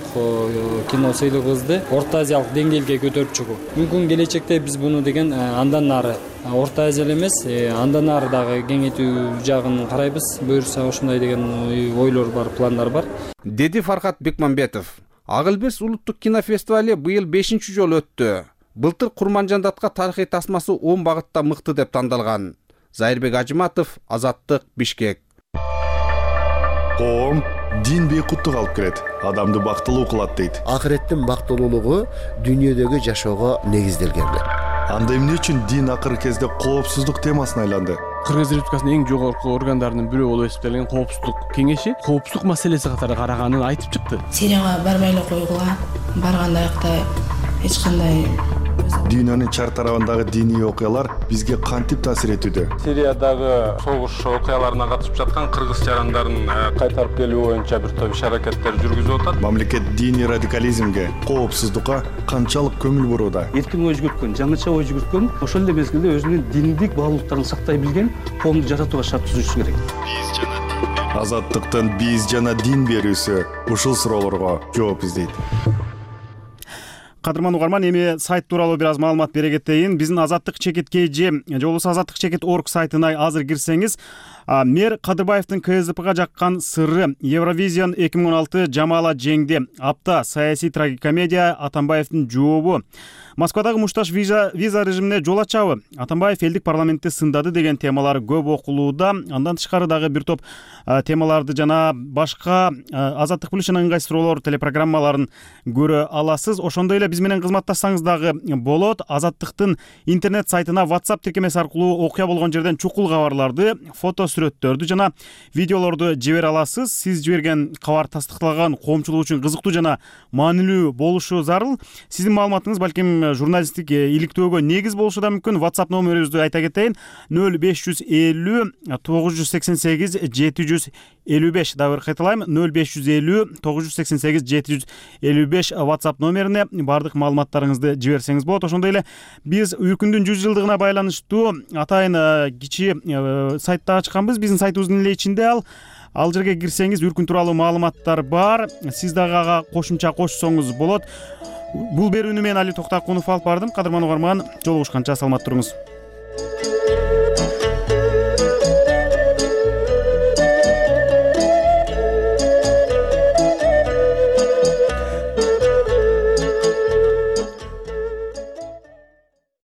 кино сыйлыгыбызды Орто Азиялык деңгээлге көтөрүп чыгуу. Мүмкүн келечекте биз буну деген андан нары Орто Азия эмес, андан нары дагы кеңейтүү жагын карайбыз. Буюрса ошондой деген ойлор бар, пландар бар. Деди Фархат Бекмамбетов. Ак Элбирс улуттук кинофестивали быйыл 5-чи жолу өттү. Былтыр Курманжандатка тарыхый тасмасы 10 багытта мыкты деп тандалган. Зайырбек Ажыматов, Азаттык, Бишкек. Коом дин бейкуттук алып келет, адамды бактылуу кылат дейт. Акыреттин бактылуулугу дүйнөдөгү жашоого негизделген. Анда эмне үчүн дин акыркы кезде коопсуздук темасына айланды? Кыргыз Республикасынын эң жогорку органдарынын бирөө болуп эсептелген коопсуздук кеңеши коопсуздук маселеси катары караганын айтып чыкты. Сирияга барбай эле койгула, барганда акта эч кандай Дүйнөнүн чар тарабындагы диний окуялар бизге кантип таасир этүүдө? Сириядагы согуш окуяларына катышып жаткан кыргыз жарандарын кайтарып келүү боюнча бир топ иш-аракеттер жүргүзүп атат. Мамлекет диний радикализмге, коопсуздукка канчалык көңүл бурууда? Эркин ой жүгүрткөн, жаңыча ой жүгүрткөн, ошол эле мезгилде өзүнүн диндик баалуулуктарын сактай билген коомду жаратууга шарт түзүшү керек. Азаттыктын биз жана дин берүүсү ушул суроолорго жооп издейт. Кадырман угарман, эми сайт тууралуу бир аз маалымат бере кетейин. Биздин Азаттык чекит KG же болбосо Азаттык чекит org сайтына азыр кирсеңиз, мэр Кадырбаевдин КСДПга жаккан сырры, Евровизион 2016 жамаала жеңди, апта саясий трагикомедия, Атамбаевдин жообу, Москвадагы мушташ виза режимине жол ачабы, Атамбаев элдик парламентти сындады деген темалар көп окулууда. Андан тышкары дагы бир топ темаларды жана башка Азаттык плюс жана ыңгай суроолор телепрограммаларын көрө аласыз. Ошондой эле биз менен кызматташсаңыз дагы болот. Азаттыктын интернет сайтына WhatsApp тиркемеси аркылуу окуя болгон жерден чукул кабарларды, фото сүрөттөрдү жана видеолорду жибере аласыз. Сиз жиберген кабар тастыкталган, коомчулук үчүн кызыктуу жана маанилүү болушу зарыл. Сиздин маалыматыңыз балким журналисттик иликтөөгө негиз болушу да мүмкүн. WhatsApp номерибизди айта кетейин: 0550 988 755. Дагы кайталайм: 0550 988 755 WhatsApp номерине бардык маалыматтарыңызды жиберсеңиз болот. Ошондой эле биз Үркүндүн 100 жылдыгына байланыштуу атайын кичи сайтта ачканбыз. Биздин сайтыбыздын эле ичинде ал жерге кирсеңиз Үркүн тууралуу маалыматтар бар. Сиз дагы ага кошумча кошсоңуз болот. Бул берүүнү мен Али Токтакунов алып бардым. Кадырман угарман, жолугушканча саламат туруңуз.